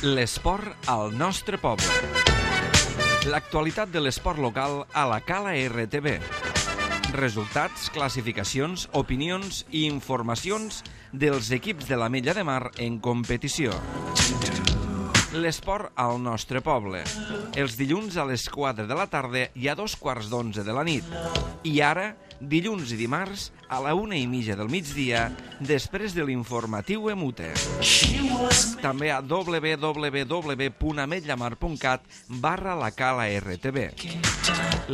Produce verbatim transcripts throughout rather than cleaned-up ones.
L'esport al nostre poble. L'actualitat de l'esport local a la Cala R T V. Resultats, classificacions, opinions i informacions dels equips de l'Ametlla de Mar en competició. L'esport al nostre poble. Els dilluns a les quatre de la tarda i a dos quarts d'onze de la nit. I ara, dilluns i dimarts, a la una i mitja del migdia, després de l'informatiu Emute. També a w w w punt ametllamar punt cat barra la Cala R T V.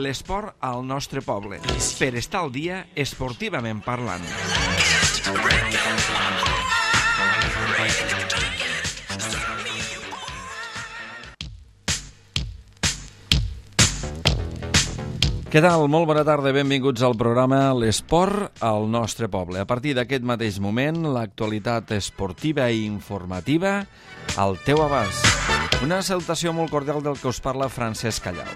L'esport al nostre poble. Per estar al dia, esportivament parlant. Què tal? Molt bona tarda, benvinguts al programa L'esport al nostre poble. A partir d'aquest mateix moment, l'actualitat esportiva i informativa al teu abast. Una salutació molt cordial del que us parla Francesc Callau.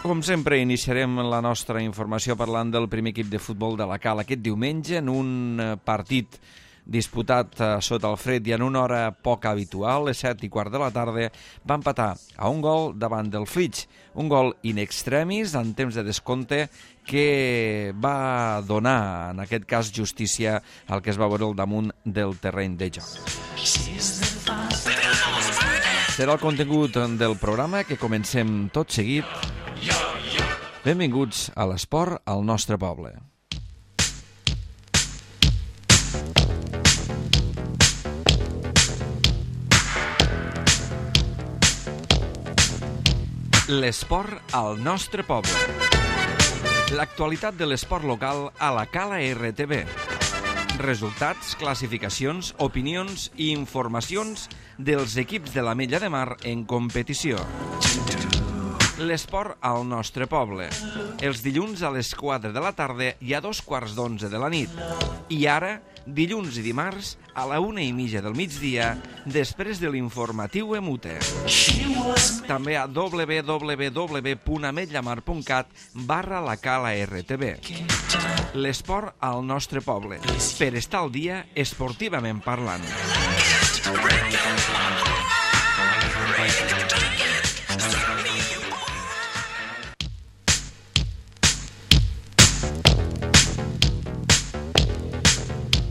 Com sempre, iniciarem la nostra informació parlant del primer equip de futbol de la Cala aquest diumenge en un partit disputat sota el fred i en una hora poc habitual, les set i quart de la tarda, va empatar a un gol davant del Flix, un gol in extremis en temps de descompte que va donar, en aquest cas, justícia al que es va veure al damunt del terreny de joc. Serà el contingut del programa que comencem tot seguit. Benvinguts a l'esport al nostre poble. L'esport al nostre poble. L'actualitat de l'esport local a la Cala R T V. Resultats, classificacions, opinions i informacions dels equips de l'Ametlla de Mar en competició. L'esport al nostre poble. Els dilluns a les quatre de la tarda i a dos quarts d'onze de la nit. I ara, dilluns i dimarts, a la una i mitja del migdia, després de l'informatiu Emute. També a w w w punt ametllamar punt cat barra la Cala R T V. L'esport al nostre poble. Per estar al dia, esportivament parlant.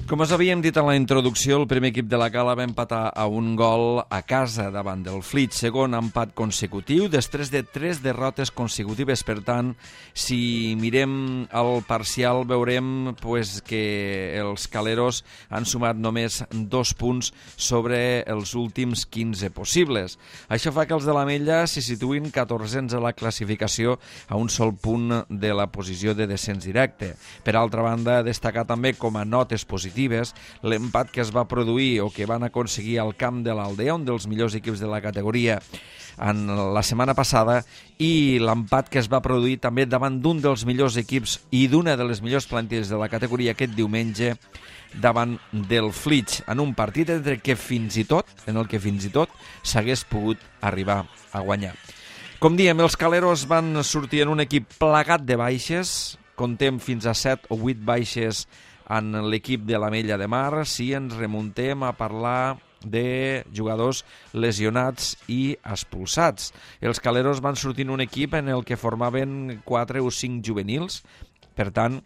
Com us havíem dit en la introducció, el primer equip de la Cala va empatar a un gol a casa davant del Flix, segon empat consecutiu, després de tres derrotes consecutives. Per tant, si mirem el parcial, veurem pues, que els caleros han sumat només dos punts sobre els últims quinze possibles. Això fa que els de l'Ametlla s'hi situïn catorzens a la classificació a un sol punt de la posició de descens directe. Per altra banda, destacar també com a notes positives l'empat que es va produir o que van aconseguir al camp de l'Aldea, un dels millors equips de la categoria en la setmana passada, i l'empat que es va produir també davant d'un dels millors equips i d'una de les millors plantilles de la categoria aquest diumenge davant del Flix, en un partit entre que fins i tot, en el que fins i tot s'hagués pogut arribar a guanyar. Com diem, els caleros van sortir en un equip plagat de baixes, contem fins a set o vuit baixes en l'equip de l'Ametlla de Mar, si ens remuntem a parlar de jugadors lesionats i expulsats. Els caleros van sortir en un equip en el que formaven quatre o cinc juvenils, per tant,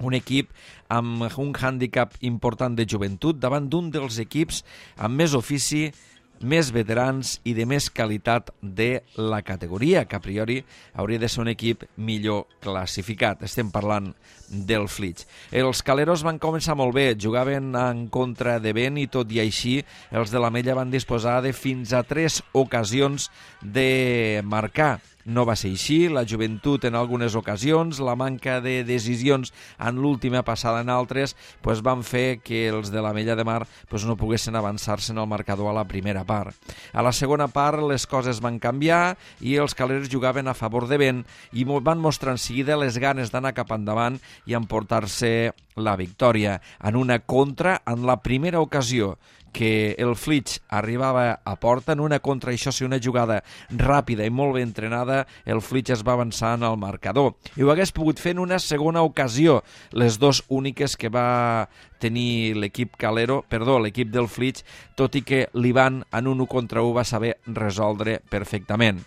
un equip amb un hàndicap important de joventut davant d'un dels equips amb més ofici, més veterans i de més qualitat de la categoria, que a priori hauria de ser un equip millor classificat. Estem parlant del Flix. Els caleros van començar molt bé, jugaven en contra de vent i tot i així els de l'Ametlla van disposar de fins a tres ocasions de marcar. No va ser així, la joventut en algunes ocasions, la manca de decisions en l'última passada en altres, pues van fer que els de l'Ametlla de Mar pues no poguessin avançar-se en el marcador a la primera part. A la segona part les coses van canviar i els caleros jugaven a favor de vent i van mostrar en seguida les ganes d'anar cap endavant i emportar-se la victòria en una contra en la primera ocasió que el Flix arribava a porta en una contra, això sí, una jugada ràpida i molt ben entrenada, el Flix es va avançar en el marcador. I ho hagués pogut fer en una segona ocasió, les dues úniques que va tenir l'equip Calero, perdó, l'equip del Flix, tot i que l'Ivan en un u contra u va saber resoldre perfectament.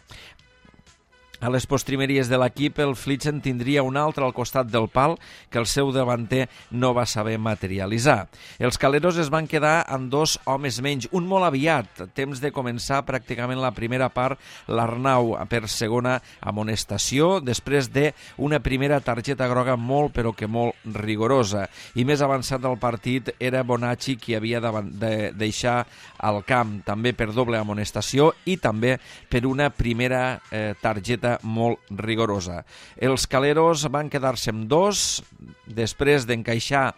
A les postrimeries de l'equip, el Flix en tindria un altre al costat del pal que el seu davanter no va saber materialitzar. Els caleros es van quedar amb dos homes menys, un molt aviat, temps de començar pràcticament la primera part, l'Arnau per segona amonestació, després d'una primera targeta groga molt però que molt rigorosa. I més avançat del partit era Bonacci qui havia de deixar al camp, també per doble amonestació i també per una primera eh, targeta molt rigorosa. Els caleros van quedar-se amb dos després d'encaixar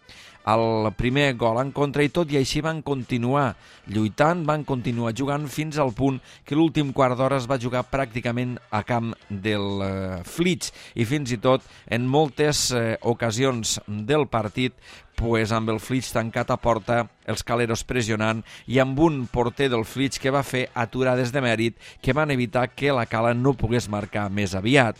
el primer gol en contra i tot i així van continuar lluitant, van continuar jugant fins al punt que l'últim quart d'hora es va jugar pràcticament a camp del eh, Flix i fins i tot en moltes eh, ocasions del partit pues amb el Flix tancat a porta, els caleros pressionant i amb un porter del Flix que va fer aturades de mèrit que van evitar que la Cala no pogués marcar més aviat.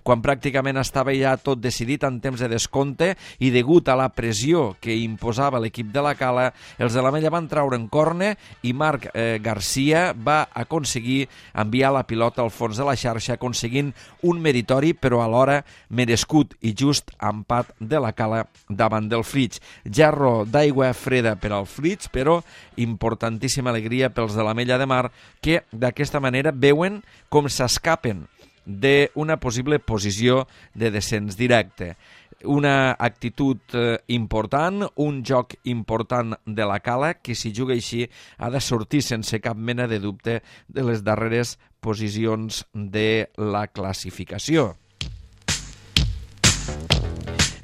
Quan pràcticament estava ja tot decidit en temps de descompte i degut a la pressió que imposava l'equip de la Cala, els de l'Ametlla van traure en corne i Marc eh, Garcia va aconseguir enviar la pilota al fons de la xarxa, aconseguint un meritori però alhora merescut i just empat de la Cala davant del Flix. Jarro d'aigua freda per al Flix, però importantíssima alegria pels de l'Ametlla de Mar que d'aquesta manera veuen com s'escapen d'una possible posició de descens directe. Una actitud eh, important, un joc important de la Cala que si juga així ha de sortir sense cap mena de dubte de les darreres posicions de la classificació.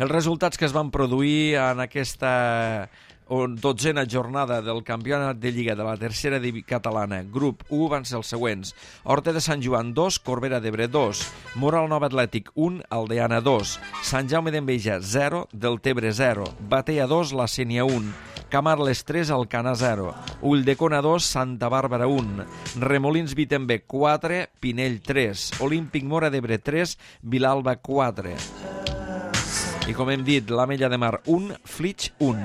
Els resultats que es van produir en aquesta dotzena jornada del campionat de Lliga de la tercera divisió catalana, grup u, van ser els següents. Horta de Sant Joan dos, Corbera d'Ebre dos, Moral Nova Atlètic un, Aldeana dos, Sant Jaume d'Enveja zero, Deltebre zero, Batea dos, La Sénia un, Camarles tres, Alcana zero, Ulldecona dos, Santa Bàrbara un, Remolins Vitember quatre, Pinell tres, Olímpic Móra d'Ebre tres, Vilalba quatre. I com hem dit, l'Ametlla de Mar un, Flix un.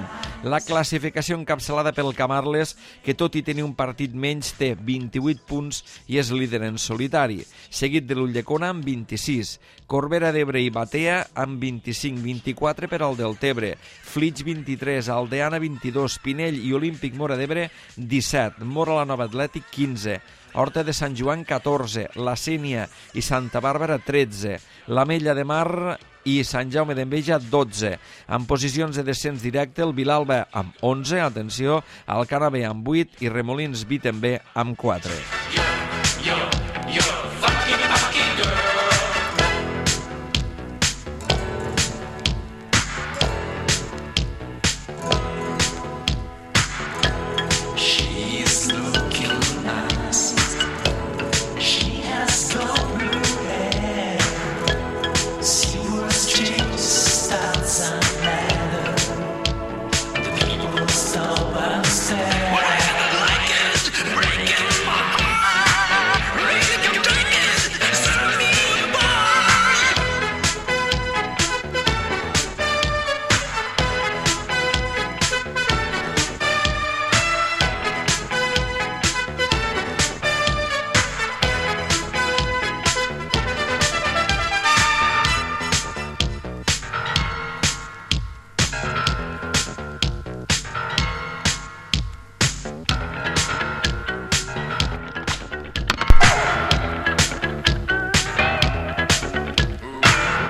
La classificació encapçalada pel Camarles, que tot i tenir un partit menys, té vint-i-vuit punts i és líder en solitari, seguit de l'Ulldecona amb vint-i-sis, Corbera d'Ebre i Batea amb vint-i-cinc, vint-i-quatre per al Deltebre, Flix vint-i-tres, Aldeana vint-i-dos, Pinell i Olímpic Móra d'Ebre disset, Móra la Nova Atlètic quinze, Horta de Sant Joan catorze, La Sénia i Santa Bàrbara tretze, l'Ametlla de Mar i Sant Jaume d'Enveja dotze. En posicions de descens directe, el Vilalba amb onze, atenció, Alcana B amb vuit i Remolins Vitember amb quatre.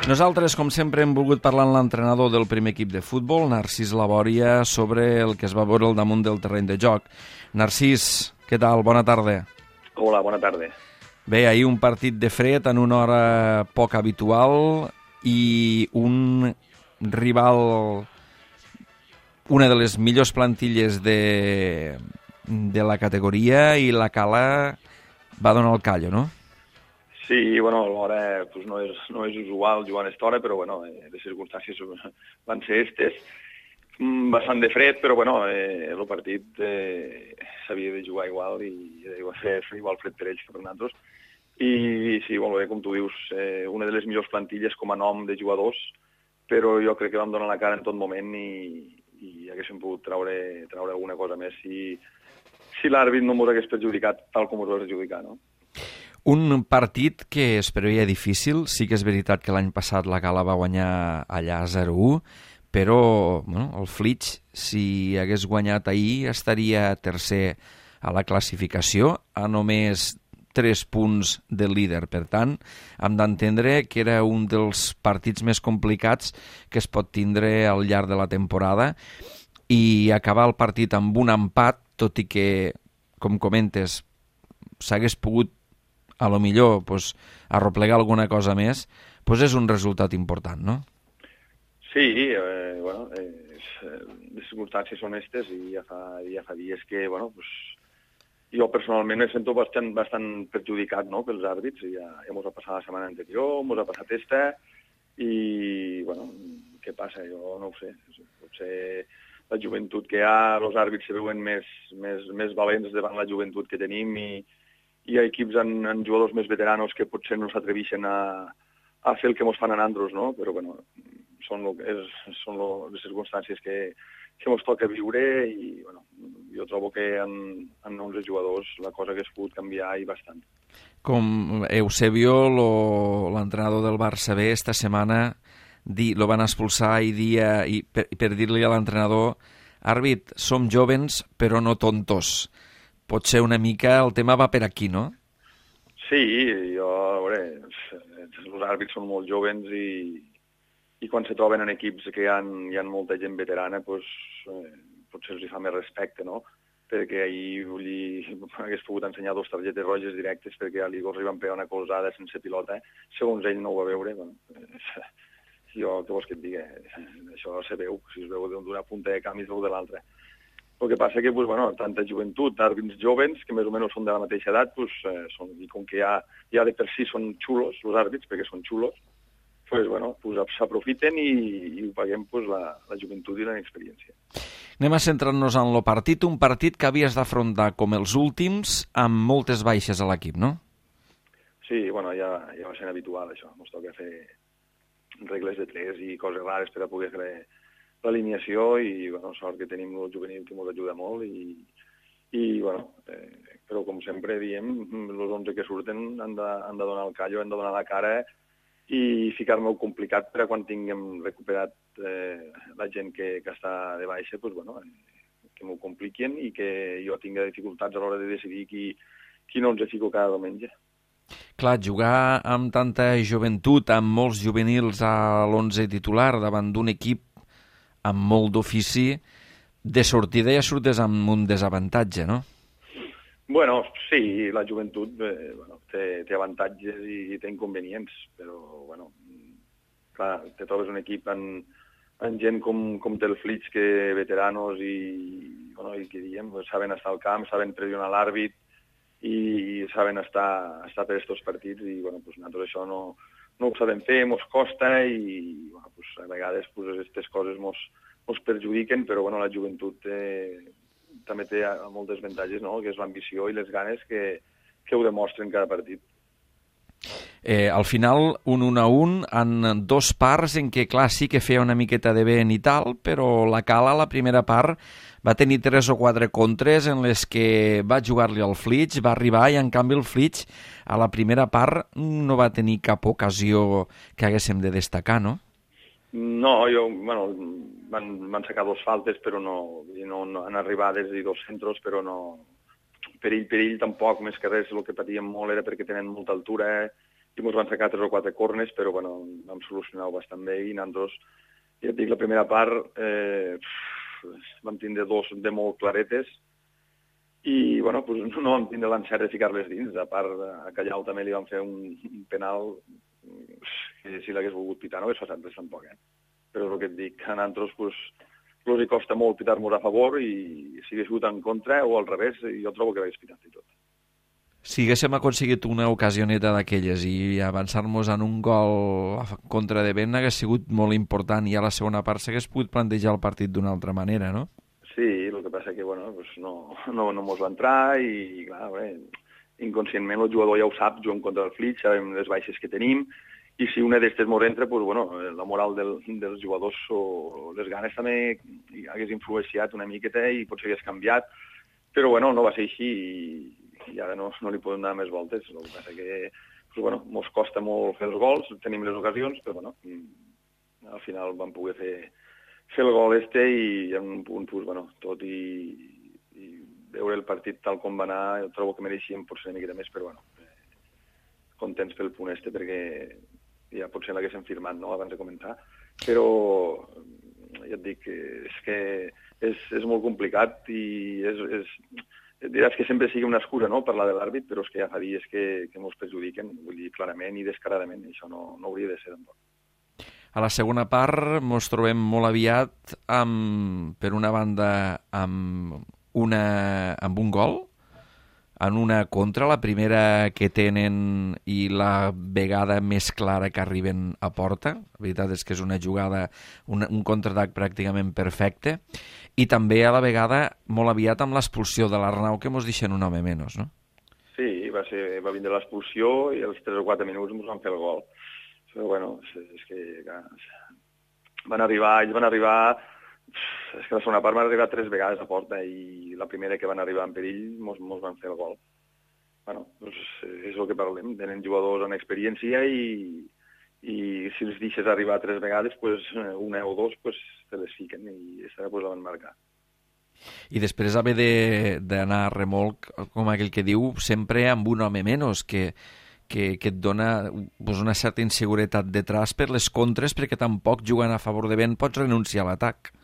Nosaltres, com sempre, hem volgut parlar amb l'entrenador del primer equip de futbol, Narcís Labòria, sobre el que es va veure al damunt del terreny de joc. Narcís, què tal? Bona tarda. Hola, bona tarda. Bé, ahir un partit de fred en una hora poc habitual i un rival, una de les millors plantilles de, de la categoria, i la Cala va donar el callo, no? Sí, bueno, l'hora pues, no, és, no és usual jugar a aquesta hora, però bueno, les circumstàncies van ser estes. Mm, bastant de fred, però bueno, eh, el partit eh, s'havia de jugar igual i va fer igual fred per ells que per nosaltres. I sí, molt bé, com tu dius, eh, una de les millors plantilles com a nom de jugadors, però jo crec que vam donar la cara en tot moment i, i haguéssim pogut traure, traure alguna cosa més si, si l'àrbit no ens hagués perjudicat tal com ens va perjudicar, no? Un partit que es preveia difícil, sí que és veritat que l'any passat la Gala va guanyar allà zero a u, però bueno, el Flix, si hagués guanyat ahir, estaria tercer a la classificació, a només tres punts del líder. Per tant, hem d'entendre que era un dels partits més complicats que es pot tindre al llarg de la temporada i acabar el partit amb un empat, tot i que, com comentes, s'hagués pogut a lo millor pues, arroplegar alguna cosa més, pues és un resultat important, no? Sí, eh, bueno, eh, les circumstàncies són aquestes i ja fa, ja fa dies que, bueno, pues, jo personalment me sento bastant, bastant perjudicat, no?, pels àrbits. Ja, ja mos ha passat la setmana anterior, mos ha passat esta, i, bueno, què passa? Jo no ho sé. Potser la joventut que hi ha, els àrbits se veuen més, més, més valents davant la joventut que tenim i hi ha equips amb, amb jugadors més veteranos que potser no s'atreveixen a, a fer el que mos fan a nandros, no? Però, bueno, són, lo, és, són lo, les circumstàncies que, que ens toca viure i, bueno, jo trobo que en, en onze jugadors la cosa hagués pogut canviar i bastant. Com Eusebio, l'entrenador del Barça B, esta setmana di, lo van expulsar i dia, i per, per dir-li a l'entrenador: àrbit, som jovens però no tontos. Potser una mica el tema va per aquí, no? Sí, jo, a veure, els àrbits són molt jovens i, i quan se troben en equips que hi ha, hi ha molta gent veterana, pues, eh, potser els hi fa més respecte, no? Perquè ahir li hagués pogut ensenyar dos targetes roges directes perquè a l'Igor li van pegar una colzada sense pilota, segons ell no ho va veure. Bueno, eh, jo, què vols que et digui? Això se veu, si es veu d'una punta de camp i es veu de l'altra. El que passa que, pues, bueno, tanta joventut, àrbits jovens, que més o menys són de la mateixa edat, pues, eh, són, i com que ja, ja de per si són xulos, els àrbits, perquè són xulos, pues, bueno, pues, s'aprofiten i, i ho paguem pues, la, la joventut i la inexperiència. Anem a centrar-nos en el partit, un partit que havies d'afrontar com els últims, amb moltes baixes a l'equip, no? Sí, bueno, ja, ja va ser habitual, això. Ens toca fer regles de tres i coses rares per a poder fer l'alineació i, bueno, sort que tenim el juvenil que ens ajuda molt i, i bueno, eh, però com sempre diem, els onze que surten han de, han de donar el callo, han de donar la cara i ficar-me-ho complicat per a quan tinguem recuperat eh, la gent que, que està de baixa, pues, bueno, eh, que m'ho compliquin i que jo tinga dificultats a l'hora de decidir qui, qui no ens fico cada diumenge. Clar, jugar amb tanta joventut, amb molts juvenils a l'onze titular davant d'un equip amb molt d'ofici, de sortida ja surtes amb un desavantatge, no? Bueno, sí, la joventut eh, bueno, té, té avantatges i, i té inconvenients, però, bueno, clar, te trobes un equip amb, amb gent com, com té el Flix, que veteranos i, bueno, i que diem, pues, saben estar al camp, saben pressionar l'àrbit i saben estar, estar per aquests partits i, bueno, pues, nosaltres això no, no ho sabem fer, mos costa i, bueno, pues, a vegades pues, aquestes coses mos, mos perjudiquen, però, bueno, la joventut eh, també té moltes avantatges, no?, que és l'ambició i les ganes que, que ho demostren cada partit. Eh, al final, un un a un, en dos parts en què, clar, sí que feia una miqueta de vent i tal, però la Cala, la primera part, va tenir tres o quatre contres en les que va jugar-li al Flix, va arribar i, en canvi, el Flix, a la primera part, no va tenir cap ocasió que haguéssim de destacar, no? No, jo, bueno, van, van sacar dos faltes, però no, no, no han arribades i dos centros, però no... Perill, perill tampoc, més que res, el que patíem molt era perquè tenen molta altura eh? i ens van sacar tres o quatre cornes, però bueno, vam solucionar-ho bastant bé i nosaltres, ja et dic, la primera part eh, vam tindre dos de molt claretes i bueno, pues, no vam tindre l'encert de ficar-les dins. A part, a Callau també li vam fer un, un penal que si l'hagués volgut pitar no hagués passat res tampoc, eh? Però el que et dic, a nosaltres pues, els hi costa molt pitar-nos a favor i si hagués sigut en contra o al revés, jo trobo que l'hagués pitat i tot. Si haguéssim aconseguit una ocasioneta d'aquelles i avançar-nos en un gol a contra de vent hagués sigut molt important, i a la segona part s'hagués pogut plantejar el partit d'una altra manera, no? Sí, el que passa que bueno, pues no, no, no mos va entrar i, clar, bé, inconscientment el jugador ja ho sap, juguem contra el Flix, sabem les baixes que tenim, i si una d'estes mos entra, pues, bueno, la moral del, dels jugadors o les ganes també hagués influenciat una miqueta i potser hagués canviat, però bueno, no va ser així i, i ara no, no li podem donar més voltes. El que passa que pues, bueno, mos costa molt fer els gols, tenim les ocasions, però bueno, al final vam poder fer, fer el gol este i en un punt, pues, bueno, tot i, i veure el partit tal com va anar, jo trobo que mereixíem potser una miqueta més, però bueno, eh, contents pel punt este perquè ja potser l'haguéssim firmat, no?, abans de començar, però ja et dic, és que és, és molt complicat i és, és, diràs que sempre sigui una excusa, no?, parlar de l'àrbit, però és que ja fa dies que, que mos perjudiquen, vull dir, clarament i descaradament, i això no, no hauria de ser tampoc. A la segona part ens trobem molt aviat amb, per una banda, amb, una, amb un gol, en una contra, la primera que tenen i la vegada més clara que arriben a porta. La veritat és que és una jugada, un, un contraatac pràcticament perfecte, i també a la vegada molt aviat amb l'expulsió de l'Arnau, que mos deixen un home menys, no? Sí, va, ser, va vindre l'expulsió i als tres o quatre minuts ens van fer el gol. Però bueno, és, és que clar, van arribar, ells van arribar, és que la segona part van arribar tres vegades a porta i la primera que van arribar en perill mos, mos van fer el gol. Bueno, doncs és el que parlem, tenen jugadors amb experiència i, i si els deixes arribar tres vegades, pues, una o dos pues, te les fiquen i aquesta pues, la van marcar. I després haver d'anar a remolc, com aquell que diu, sempre amb un home menys, que, que, que et dona pues, una certa inseguretat detrás per les contres, perquè tampoc jugant a favor de vent pots renunciar a l'atac.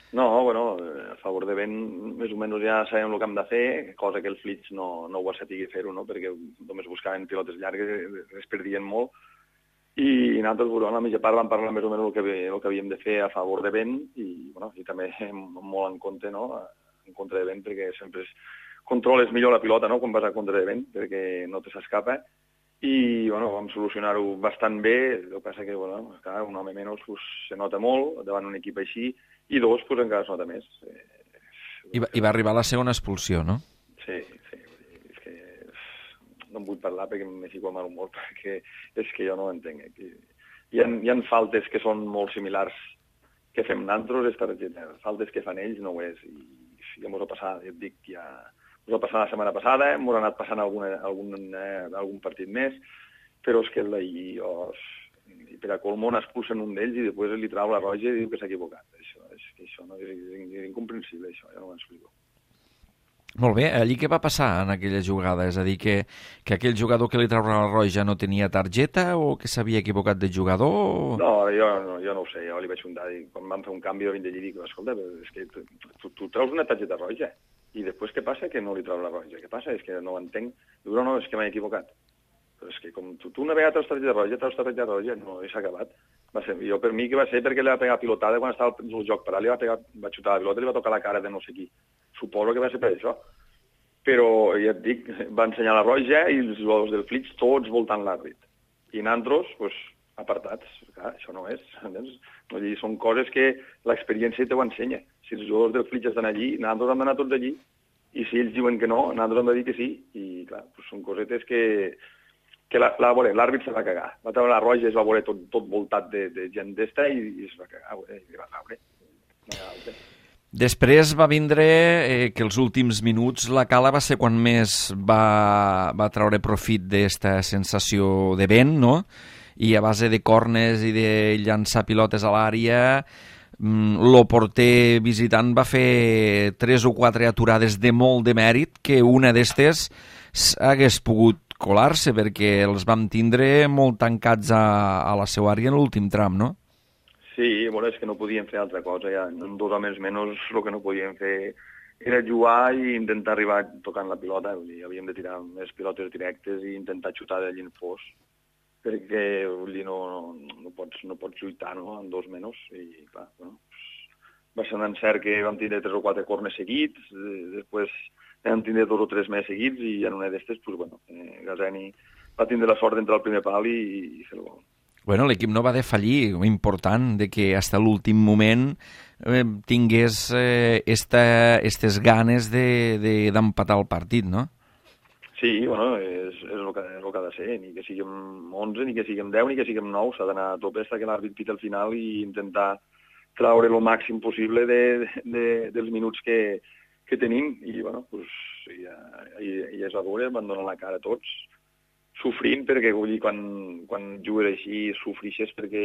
No, bueno, a favor de vent més o menys ja sabem el que hem de fer, cosa que el Flix no, no ho va saber fer-ho, no? Perquè només buscaven pilotes llargues, es perdien molt, i nosaltres, bueno, a la mitja part vam parlar més o menys el que, el que havíem de fer a favor de vent i, bueno, i també molt en compte, no?, en contra de vent, perquè sempre es controles millor la pilota, no?, quan vas a contra de vent, perquè no te s'escapa, i, bueno, vam solucionar-ho bastant bé. El que passa que, bueno, clar, un home menys pues, se nota molt davant un equip així, i dos, pues, encara es nota més. I va, I va arribar la segona expulsió, no? Sí, sí. És que no en vull parlar perquè m'he ficat mal humor, perquè és que jo no ho entenc. Hi ha, hi ha faltes que són molt similars que fem nosaltres, faltes que fan ells no ho és. I ja m'ho ha passat, ja et dic, ja m'ho ha passat la setmana passada, m'ho ha anat passant alguna, algun, eh, algun partit més, però és que l'ahir, oh, i per a colmo n'expulsen un d'ells i després li trau la roja i diu que s'ha equivocat. Això, és, això no, és, és incomprensible, això, ja no ho explico. Molt bé, allí què va passar en aquella jugada? És a dir, que, que aquell jugador que li trau la roja no tenia targeta o que s'havia equivocat de jugador? No, jo no, jo no ho sé, jo li vaig juntar i quan vam fer un canvi jo vinc d'allí i dic, escolta, és que tu, tu, tu traus una targeta roja i després què passa? Que no li trau la roja. Què passa? És que no ho entenc. Diu, no, no, és que m'he equivocat. Però és que com tu, tu una vegada traus targeta roja, traus targeta roja, no, i s'ha acabat. Va ser, jo per mi que va ser perquè li va pegar pilotada quan estava el joc parat, li va, pegar, va xutar la pilota i li va tocar la cara de no sé qui. Suposo que va ser per això. Però, ja et dic, va ensenyar la roja i els jugadors del Flix tots voltant l'àrbit. I nosaltres, pues, apartats. Clar, això no és. No, són coses que l'experiència te ho ensenya. Si els jugadors del Flix estan allí, nosaltres hem d'anar tots allí. I si ells diuen que no, nosaltres hem de dir que sí. I, clar, pues, són cosetes que, que l'àrbit se va cagar. Va treure la roja, es va veure tot, tot voltat de, de gent d'esta i, i es va cagar. I li va caure. No, després va vindre eh, que els últims minuts la Cala va ser quan més va, va treure profit d'esta sensació de vent, no? I a base de cornes i de llançar pilotes a l'àrea, el porter visitant va fer tres o quatre aturades de molt de mèrit, que una d'estes hagués pogut colar-se, perquè els vam tindre molt tancats a, a la seva àrea en l'últim tram, no? Sí, bueno, és que no podíem fer altra cosa, ja. En dos homes menys el que no podíem fer era jugar i intentar arribar tocant la pilota, vull dir, havíem de tirar més pilotes directes i intentar xutar d'allí en fos, perquè vull dir, no, no, no, pots, no pots lluitar, no?, en dos menys, i clar, bueno, va ser un encert que vam tindre tres o quatre cornes seguits, després vam tindre dos o tres més seguits i en una d'estes, pues, bueno, eh, Gazeni va tindre la sort d'entrar al primer pal i, i fer el gol. Bueno, l'equip no va defallir, important, de que fins a l'últim moment eh, tingués eh, esta, estes ganes d'empatar de, de, el partit, no? Sí, bueno, és, és, el que, és el que ha de ser, ni que siguem onze, ni que siguem deu, ni que siguem nou, s'ha d'anar a tope fins que l'àrbit pita al final i intentar traure el màxim possible de, de, dels minuts que, que tenim, i bueno, pues, ja, ja, ja és a veure, van donar la cara a tots, sofrint, perquè vull dir, quan, quan jugues així, sofrixes perquè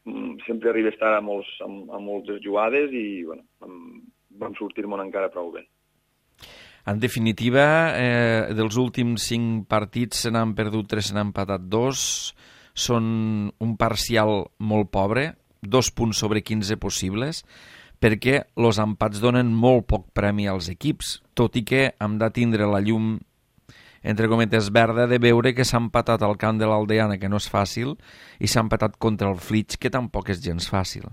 mm, sempre arribes tard a, molts, a, a moltes jugades i bueno, vam, vam sortir-me'n encara prou bé. En definitiva, eh, dels últims cinc partits se n'han perdut tres, se n'han empatat dos, són un parcial molt pobre, dos punts sobre quinze possibles, perquè els empats donen molt poc premi als equips, tot i que hem de tindre la llum entre cometes verda de veure que s'ha empatat al camp de l'Aldeana, que no és fàcil, i s'ha empatat contra el Flix, que tampoc és gens fàcil.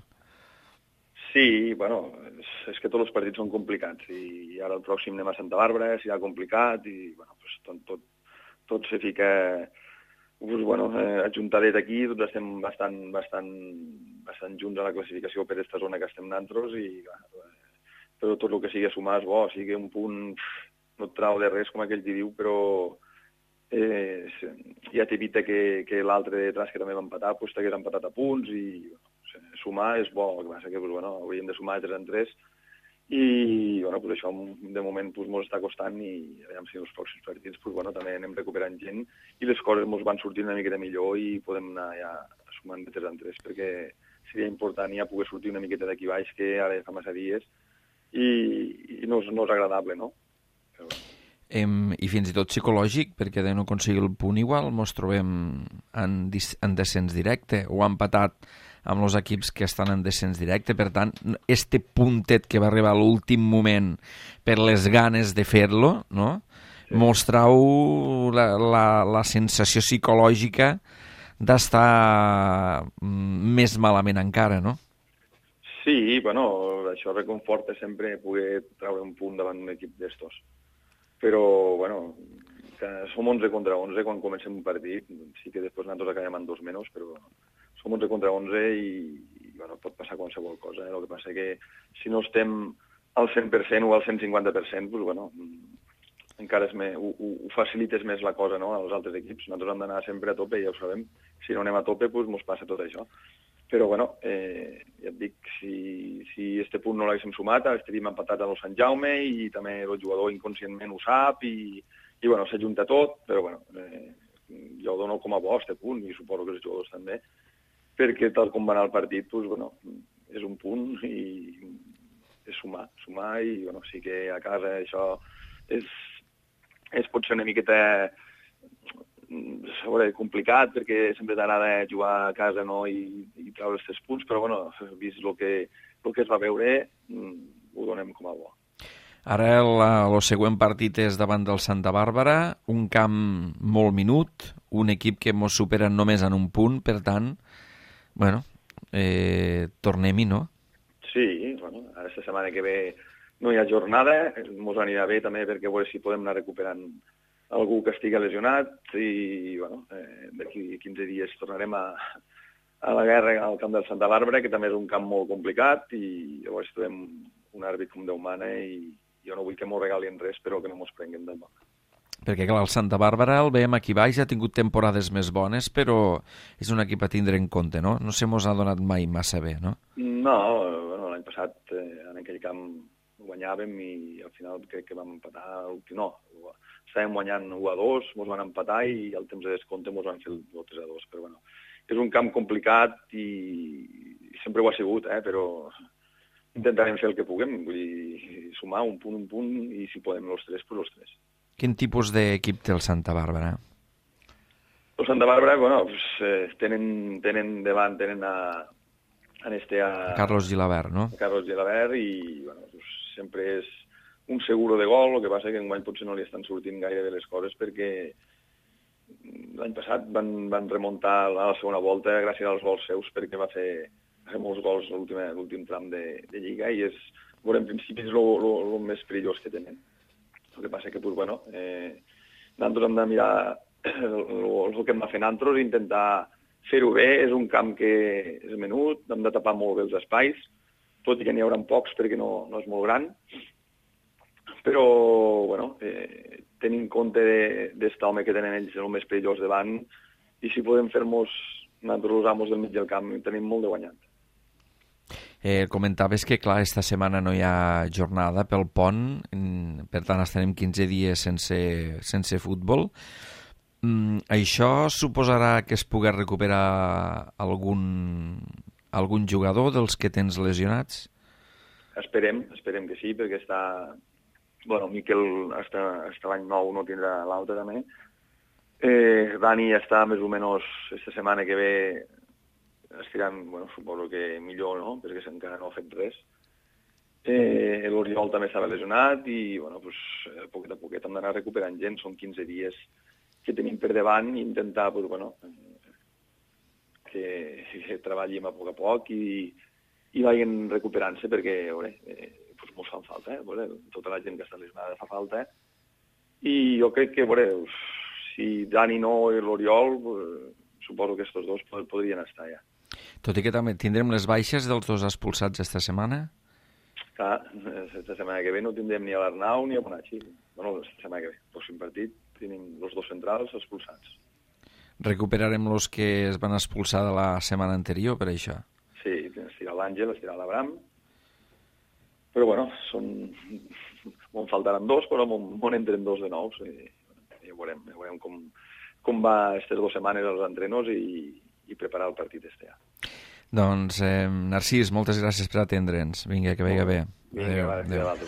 Sí, bueno, és, és que tots els partits són complicats, i ara el pròxim anem a Santa Bàrbara, serà complicat, i bueno, pues, tot, tot, tot se fica pues, bueno, eh, ajuntadet aquí, tots estem bastant, bastant, bastant junts a la classificació per aquesta zona que estem nosaltres, i bueno, però tot el que sigui a sumar és bo, o sigui un punt no et trau de res, com aquell que diu, però eh, ja t'evita que, que l'altre de detrás, que també va empatar, pues, t'hagués empatat a punts, i bueno, sumar és bo, el que passa que pues, bueno, hauríem de sumar de tres en tres, i bueno, pues, això de moment pues, mos està costant, i a veure si en els pròxims partits pues, bueno, també anem recuperant gent, i les coses mos van sortir una miqueta millor i podem anar ja sumant de tres en tres, perquè seria important ja poder sortir una miqueta d'aquí baix, que ara fa massa dies, i, i no, és, no és agradable, no? Però... Em, I fins i tot psicològic, perquè de no aconseguir el punt igual mos trobem en, en descens directe, o empatat amb els equips que estan en descens directe. Per tant, este puntet que va arribar a l'últim moment per les ganes de fer-lo, no? Sí. Mos trau la, la, la sensació psicològica d'estar més malament encara, no? Sí, bueno, això reconforta sempre poder treure un punt davant un equip d'estos. Però, bueno, que som onze contra onze quan comencem un partit, sí que després nosaltres acabem amb dos menys, però som onze contra onze i, i bueno, pot passar qualsevol cosa. Eh? El que passa que si no estem al cent per cent o al cent cinquanta per cent, doncs, bueno, encara és més, ho, ho facilites més la cosa, no?, als altres equips. Nosaltres hem d'anar sempre a tope, ja ho sabem. Si no anem a tope, doncs mos passa tot això. Però, bueno, eh, ja et dic, si, si este punt no l'haguéssim sumat, estaríem empatats a Sant Jaume i també el jugador inconscientment ho sap i, i bueno, s'ajunta tot, però, bueno, eh, jo ho dono com a bo, este punt, i suposo que els jugadors també, perquè tal com va anar el partit, doncs, bueno, és un punt i és sumar, sumar i, bueno, sí que a casa això és, és pot ser una miqueta... Sobre, complicat, perquè sempre t'agrada jugar a casa, no?, i, i treure els tres punts, però bueno, vist el que, el que es va veure, ho donem com a bo. Ara el, el següent partit és davant del Santa Bàrbara, un camp molt minut, un equip que ens supera només en un punt, per tant, bueno, eh, tornem-hi, no? Sí, bueno, ara aquesta setmana que ve no hi ha jornada, ens anirà bé també perquè a veure si podem anar recuperant algú que estigui lesionat i, bueno, eh, d'aquí quinze dies tornarem a, a la guerra al camp del Santa Bàrbara, que també és un camp molt complicat, i llavors trobem un àrbit com Déu mana i jo no vull que m'ho regalin res, però que no m'ho prenguem de mà. Perquè, clar, el Santa Bàrbara el veiem aquí baix, ha tingut temporades més bones, però és un equip a tindre en compte, no? No se mos ha donat mai massa bé, no? No, bueno, l'any passat eh, en aquell camp guanyàvem i al final crec que vam empatar, no, estàvem guanyant u a dos, mos van empatar i al temps de descompte mos van fer el tres a dos, però bueno, és un camp complicat i, i sempre ho ha sigut, eh, però intentarem fer el que puguem, vull dir, sumar un punt, un punt, i si podem els tres, doncs els tres. Quin tipus d'equip té el Santa Bàrbara? El Santa Bàrbara, bueno, pues, eh, tenen, tenen davant, tenen a, a este a... Carlos Gilabert, no? A Carlos Gilabert, i bueno, pues, sempre és un seguro de gol, el que passa que enguany potser no li estan sortint gaire de les coses perquè l'any passat van, van remuntar a la segona volta gràcies als gols seus, perquè va fer, va fer molts gols a l'últim tram de, de Lliga, i és, bueno, en principi és el més perillós que tenen. El que passa que, pues, bueno, eh, nosaltres hem de mirar el, el que hem de fer nosaltres, intentar fer-ho bé. És un camp que és menut, hem de tapar molt bé els espais, tot i que n'hi haurà pocs perquè no, no és molt gran. Però, bueno, eh, tenint en compte d'este home que tenen ells el més perillós davant, i si podem fer-nos nosaltres els amos del mig del camp, tenim molt de guanyat. Eh, comentaves que, clar, esta setmana no hi ha jornada pel pont, per tant estarem quinze dies sense, sense futbol. Mm, això suposarà que es pugui recuperar algun, algun jugador dels que tens lesionats? Esperem, esperem que sí, perquè està... Bueno, Miquel hasta, hasta l'any nou no tindrà l'altre també. Eh, Dani està més o menys aquesta setmana que ve estirant, bueno, suposo que millor, no?, perquè encara no ha fet res. Eh, L'Oriol també estava lesionat i, bueno, pues, a poquet a poquet hem d'anar recuperant gent. Són quinze dies que tenim per davant i intentar, pues, bueno, que, que treballem a poc a poc i, i vagin recuperant-se perquè, veure, eh, pues, mos fan falta, eh? Veure, tota la gent que està lesionada fa falta, eh? I jo crec que, veure, si Dani no i l'Oriol, pues, suposo que aquests dos podrien estar ja. Tot i que també tindrem les baixes dels dos expulsats esta setmana? Clar, esta setmana que ve no tindrem ni a l'Arnau ni a Bonacci. Bueno, esta setmana que ve, el pròxim partit, tenim els dos centrals expulsats. Recuperarem els que es van expulsar de la setmana anterior, per això? Sí, estirà l'Àngel, estirà l'Abram. Però, bueno, són... Me'n faltaran dos, però me'n entren dos de nous. I, i ja veurem, ja veurem com, com va aquestes dues setmanes els entrenos i, i preparar el partit este ja. Doncs, eh, Narcís, moltes gràcies per atendre'ns. Vinga, que vagi bé. Vinga, va, adéu. Adéu.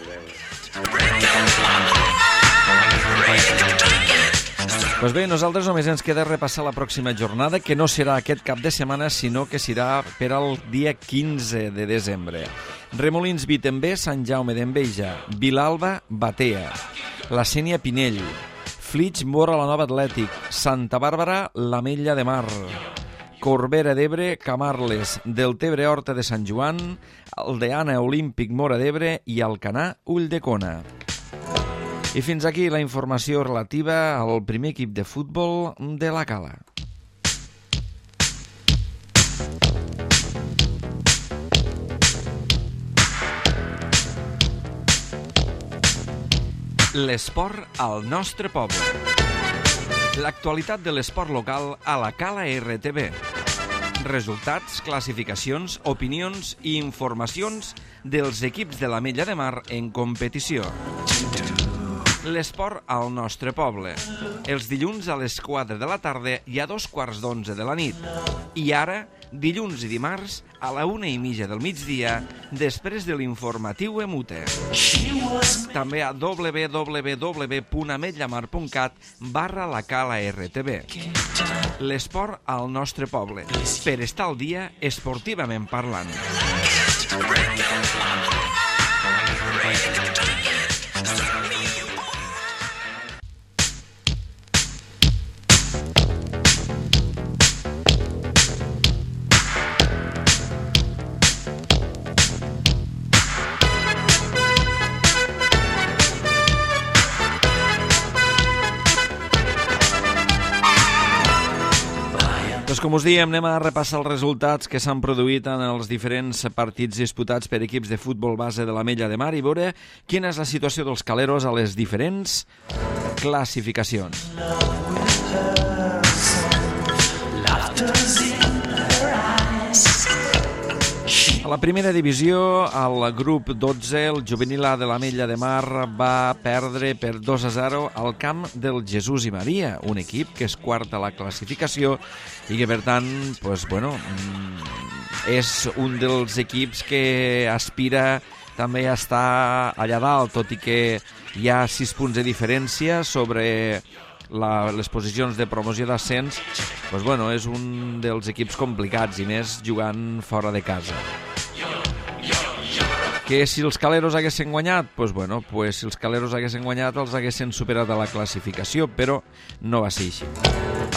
Pues bé, nosaltres només ens queda repassar la pròxima jornada, que no serà aquest cap de setmana, sinó que serà per al dia quinze de desembre. Remolins Vitember, Sant Jaume d'Enveja, Vilalba, Batea, la Sénia Pinell, Flix Mora, la Nova Atlètic, Santa Bàrbara, l'Ametlla de Mar, Corbera d'Ebre, Camarles, Deltebre, Horta de Sant Joan, Aldeana, Olímpic, Mora d'Ebre i Alcanar, Ulldecona. I fins aquí la informació relativa al primer equip de futbol de la Cala. L'esport al nostre poble. L'actualitat de l'esport local a la Cala R T V. Resultats, classificacions, opinions i informacions dels equips de l'Ametlla de Mar en competició. L'esport al nostre poble. Els dilluns a les quatre de la tarda i a dos quarts d'onze de la nit. I ara, dilluns i dimarts, a la una i mitja del migdia, després de l'informatiu Emute. També a w w w punt ametllamar punt cat barra la Cala R T V. L'esport al nostre poble. Per estar al dia, esportivament parlant. Doncs com us diem, anem a repassar els resultats que s'han produït en els diferents partits disputats per equips de futbol base de l'Ametlla de Mar i veure quina és la situació dels caleros a les diferents classificacions. A la primera divisió, al grup dotze, el juvenil A de l'Ametlla de Mar va perdre per dos a zero al camp del Jesús i Maria, un equip que és quart a la classificació i que, per tant, pues, bueno, és un dels equips que aspira també a estar allà dalt, tot i que hi ha sis punts de diferència sobre la, les posicions de promoció d'ascens. Pues, bueno, és un dels equips complicats i més jugant fora de casa. Que si els caleros haguessin guanyat, pues bueno, pues si els caleros haguessin guanyat els haguessin superat a la classificació, però no va ser així.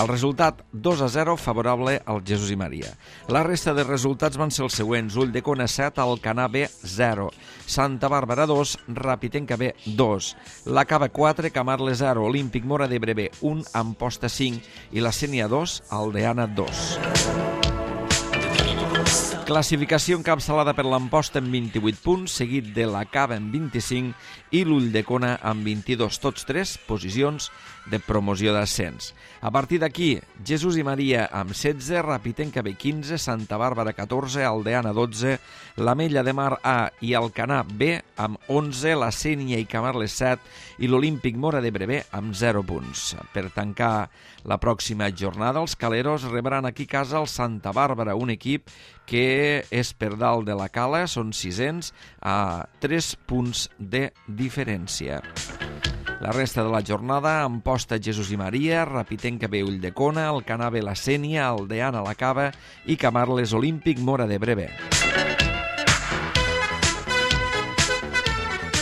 El resultat dos a zero favorable al Jesús i Maria. La resta de resultats van ser els següents: Ulldecona set, Alcanar B zero, Santa Bàrbara dos, Rapitenca B dos, La Cava quatre, Camarles zero, Olímpic Móra d'Ebre B un, Amposta cinc i la Sénia dos, Aldeana dos. Classificació encapçalada per l'Amposta amb vint-i-vuit punts, seguit de la Cava amb vint-i-cinc i l'Ulldecona amb vint-i-dos, tots tres posicions de promoció d'ascens. A partir d'aquí, Jesús i Maria amb setze, Rapitenca B quinze, Santa Bàrbara catorze, Aldeana dotze, l'Ametlla de Mar A i Alcanar B amb onze, la Sénia i Camarles set i l'Olímpic Móra d'Ebre B amb zero punts. Per tancar la pròxima jornada, els caleros rebran aquí a casa el Santa Bàrbara, un equip que és per dalt de la cala, són sisens a tres punts de diferència. La resta de la jornada, Amposta Jesús i Maria, Rapitenca B Ulldecona, Alcanar B la Sénia, Aldeana la Cava i Camarles Olímpic Móra d'Ebre B.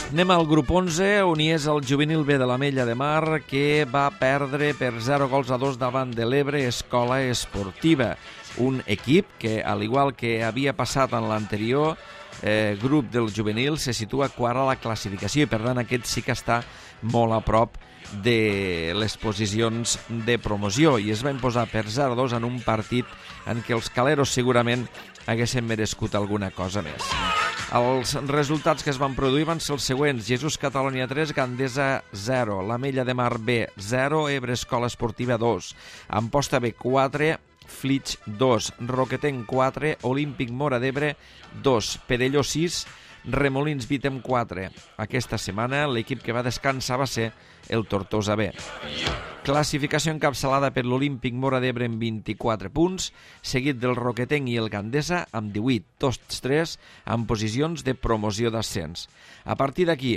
Anem al grup onze, on hi és el juvenil B de l'Ametlla de Mar, que va perdre per zero gols a dos davant de l'Ebre Escola Esportiva. Un equip que, al igual que havia passat en l'anterior eh, grup del juvenil, se situa quart a la classificació i, per tant, aquest sí que està molt a prop de les posicions de promoció i es va imposar per zero a dos en un partit en què els caleros segurament haguessin merescut alguna cosa més. Els resultats que es van produir van ser els següents: Jesús Catalunya tres, Gandesa zero, l'Ametlla de Mar B zero, Ebre Escola Esportiva dos, Amposta B quatre, Flix dos, Roquetenc quatre, Olímpic Móra d'Ebre dos, Perelló sis, Remolins Vítem quatre. Aquesta setmana l'equip que va descansar va ser el Tortosa B. Classificació encapçalada per l'Olímpic Móra d'Ebre amb vint-i-quatre punts, seguit del Roquetenc i el Gandesa amb divuit, tots tres en posicions de promoció d'ascens. A partir d'aquí,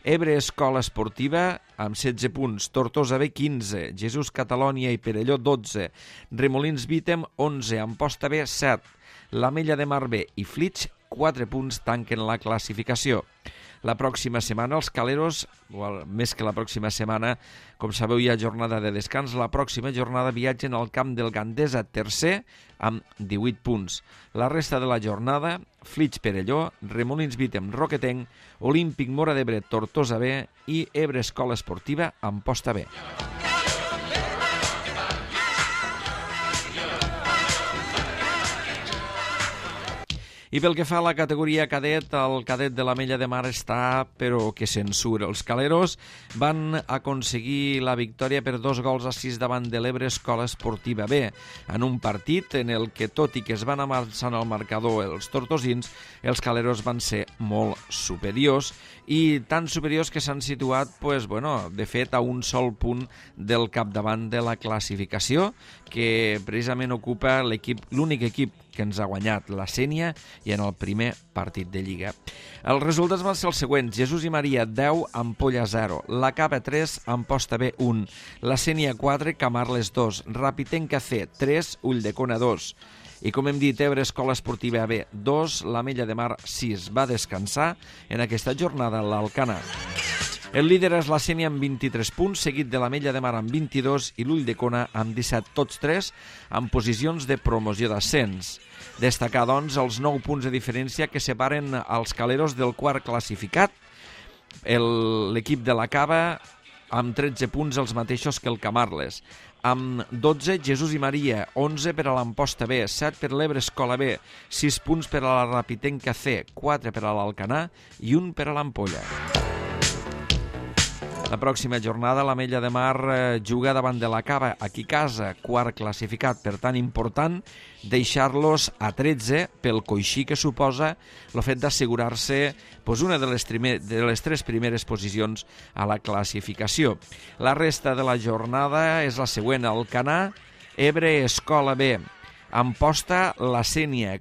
Ebre Escola Esportiva amb setze punts, Tortosa B quinze, Jesús Catalunya i Perelló dotze, Remolins Vítem onze, Amposta B set, l'Ametlla de Mar B i Flix quatre punts tanquen la classificació. La pròxima setmana els caleros, o més que la pròxima setmana, com sabeu hi ha jornada de descans, la pròxima jornada viatgen al camp del Gandesa tercer amb divuit punts. La resta de la jornada, Flix Perelló, Remolins Vítem Roquetenc, Olímpic Móra d'Ebre Tortosa B i Ebre Escola Esportiva Amposta B. I pel que fa a la categoria cadet, el cadet de l'Ametlla de Mar està, però que censura. Els caleros van aconseguir la victòria per dos gols a sis davant de l'Ebre Escola Esportiva B, en un partit en el que, tot i que es van avançant al marcador els tortosins, els caleros van ser molt superiors, i tan superiors que s'han situat, pues, bueno, de fet, a un sol punt del capdavant de la classificació, que precisament ocupa l'equip, l'únic equip que ens ha guanyat, la Sénia, i en el primer partit de Lliga. Els resultats van ser els següents: Jesús i Maria deu, Ampolla zero, la Cava tres, Amposta B un, la Sénia quatre, Camarles dos, Rapitenca C tres, Ulldecona dos, i com hem dit, Ebre Escola Esportiva B dos, l'Ametlla de Mar sis. Va descansar en aquesta jornada l'Alcanar. El líder és la Sénia amb vint-i-tres punts, seguit de l'Ametlla de Mar amb vint-i-dos i l'Ulldecona amb disset, tots tres en posicions de promoció d'ascens. Destacar, doncs, els nou punts de diferència que separen els caleros del quart classificat. L'equip de la Cava amb tretze punts, els mateixos que el Camarles. Amb dotze, Jesús i Maria, onze per a l'Amposta B, set per l'Ebre Escola B, sis punts per a la Rapitenca C, quatre per a l'Alcanar i un per a l'Ampolla. La pròxima jornada l'Ametlla de Mar eh, juga davant de la Cava, aquí a casa, quart classificat. Per tant, important deixar-los a tretze pel coixí que suposa el fet d'assegurar-se pues, una de les, trimer, de les tres primeres posicions a la classificació. La resta de la jornada és la següent: Alcanar, Ebre Escola B, Amposta, la Sénia,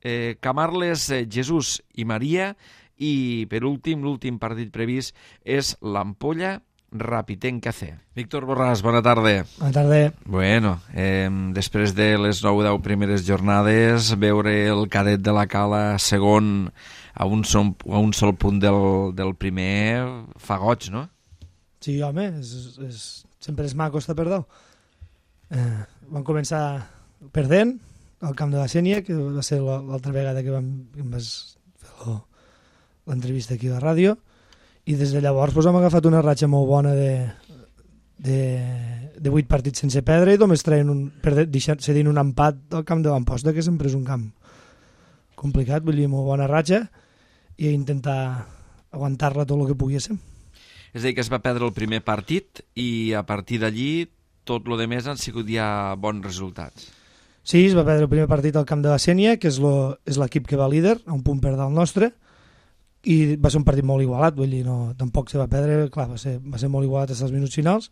eh, Camarles, eh, Jesús i Maria, i, per últim, l'últim partit previst és l'Ampolla Rapitenca C. Víctor Borràs, bona tarda. Bona tarda. Bueno, eh, després de les nou o deu primeres jornades, veure el cadet de la Cala segon a un sol, a un sol punt del, del primer fa goig, no? Sí, home, és, és, sempre és maco estar per dalt. Eh, vam començar perdent al camp de la Sénia, que va ser l'altra vegada que vam, que em vas fer l'entrevista aquí a la ràdio, i des de llavors doncs, hem agafat una ratxa molt bona de, de, de vuit partits sense perdre i només traient un, cedint un empat al camp de l'Amposta, que sempre és un camp complicat, vull dir, molt bona ratxa, i intentar aguantar-la tot el que poguéssim. És a dir, que es va perdre el primer partit i a partir d'allí tot el que més han sigut ja bons resultats. Sí, es va perdre el primer partit al camp de la Sénia, que és l'equip que va líder, a un punt per del nostre, i va ser un partit molt igualat, vull dir, no, tampoc se va perdre, clar, va ser, va ser molt igualat fins als minuts finals,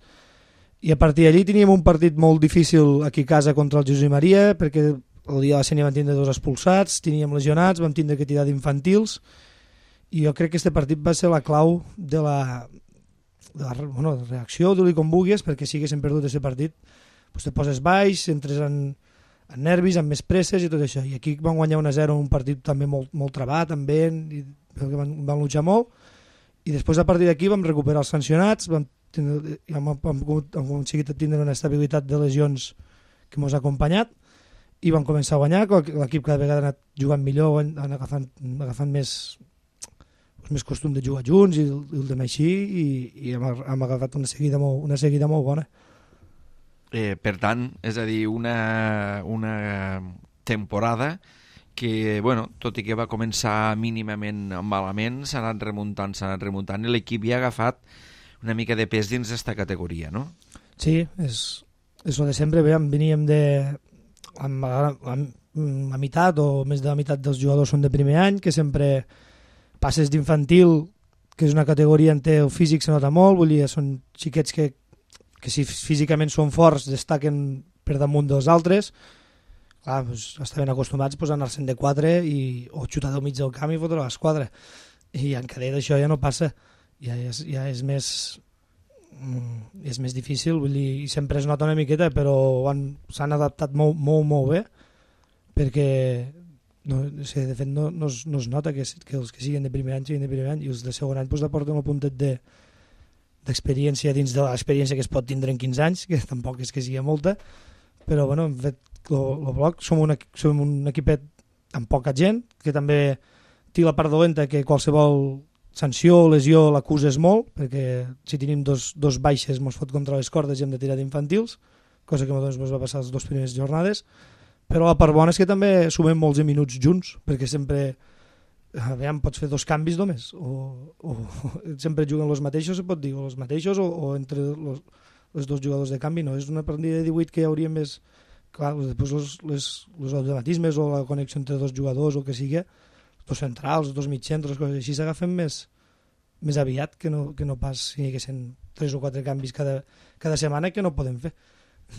i a partir d'allí teníem un partit molt difícil aquí a casa contra el Josep Maria, perquè el dia de la Sénia vam tindre dos expulsats, teníem lesionats, vam tindre que tirar d'infantils, i jo crec que aquest partit va ser la clau de la, de la bueno, reacció, diu-li com vulguis, perquè si haguéssim perdut aquest partit, doncs te poses baix, entres en, en nervis, amb més presses i tot això. I aquí van guanyar un a zero, un partit també molt, molt trabat, amb vent, i van, van luchar molt, i després a partir d'aquí vam recuperar els sancionats, vam, tindre, hem, hem, hem aconseguit tindre una estabilitat de lesions que ens ha acompanyat, i vam començar a guanyar, l'equip cada vegada ha anat jugant millor, han agafant, agafant més, més costum de jugar junts i el, el d'anar així, i, i hem, hem agafat una seguida molt, una seguida molt bona. Eh, per tant, és a dir, una, una temporada que, bueno, tot i que va començar mínimament malament, s'ha anat remuntant, s'ha anat remuntant, i l'equip ja ha agafat una mica de pes dins d'esta categoria, no? Sí, és, és el de sempre. Bé, veníem de... Amb, amb, la meitat o més de la meitat dels jugadors són de primer any, que sempre passes d'infantil, que és una categoria en què el físic se nota molt, vull dir, són xiquets que, que si físicament són forts destaquen per damunt dels altres, clar, doncs, estaven acostumats pues, a anar-se'n de quatre i, o xutar del mig del camp i fotre l'esquadra, i en cadet això ja no passa, ja és, ja és més... és més difícil, vull dir, i sempre es nota una miqueta, però s'han adaptat molt, molt, molt bé, perquè no, o sigui, de fet no, no, es, no es nota que, que els que siguin de primer any siguin de primer any, i els de segon any pues, aporten un puntet de, d'experiència dins de l'experiència que es pot tindre en quinze anys, que tampoc és que sigui molta, però bueno, hem fet el bloc, som un, som un equipet amb poca gent, que també té la part dolenta que qualsevol sanció o lesió l'acuses molt, perquè si tenim dos, dos baixes ens fot contra les cordes i hem de tirar d'infantils, cosa que ens va passar les dues primeres jornades, però la part bona és que també sumem molts minuts junts, perquè sempre aviam, pots fer dos canvis només, o, o sempre juguen els mateixos, se pot dir, o els mateixos, o, o entre los, els dos jugadors de canvi, no, és una partida de divuit que hi hauria més, clar, després els, les, els automatismes o la connexió entre dos jugadors o el que sigui, dos centrals, dos mitjans, coses així s'agafen més, més aviat que no, que no pas si hi haguessin tres o quatre canvis cada, cada setmana, que no podem fer.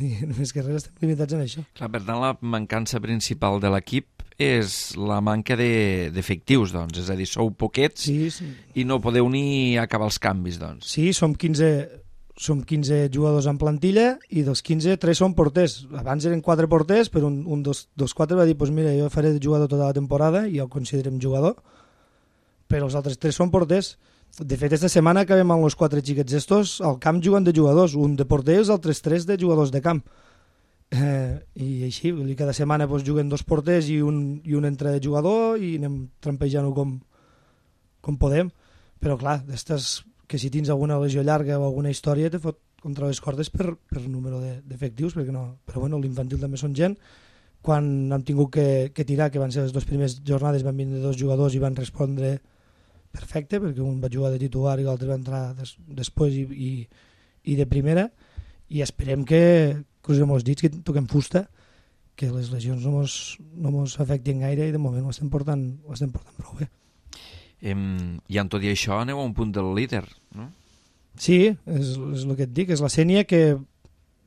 I només que res estem limitats en això. Clar, per tant, la mancança principal de l'equip és la manca d'efectius, doncs. És a dir, sou poquets sí, sí. I no podeu ni acabar els canvis, doncs. Sí, som quinze, som quinze jugadors en plantilla i dels quinze, tres són porters. Abans eren quatre porters, però un, un dels, dels quatre va dir pues mira, jo faré de jugador tota la temporada i ja el considerem jugador, però els altres tres són porters. De fet, aquesta setmana acabem amb els quatre xiquets estos al camp jugant de jugadors, un de porter i els altres tres de jugadors de camp. Eh, I així, vull dir, cada setmana pues, juguen dos porters i un, i un entra de jugador i anem trampejant-ho com, com podem. Però clar, d'estes que si tens alguna lesió llarga o alguna història te fot contra les cordes per, per número d'efectius, perquè no... Però bueno, l'infantil també són gent. Quan hem tingut que, que tirar, que van ser les dues primeres jornades, van vindre dos jugadors i van respondre perfecte, perquè un va jugar de titular i l'altre va entrar des, després i, i, i de primera, i esperem que, cruzem els dits, que toquem fusta, que les lesions no mos, no mos afectin gaire i de moment ho estem portant, ho estem portant prou bé. Em, I amb tot i això aneu a un punt del líder, no? Sí, és, és el que et dic, és la Sénia, que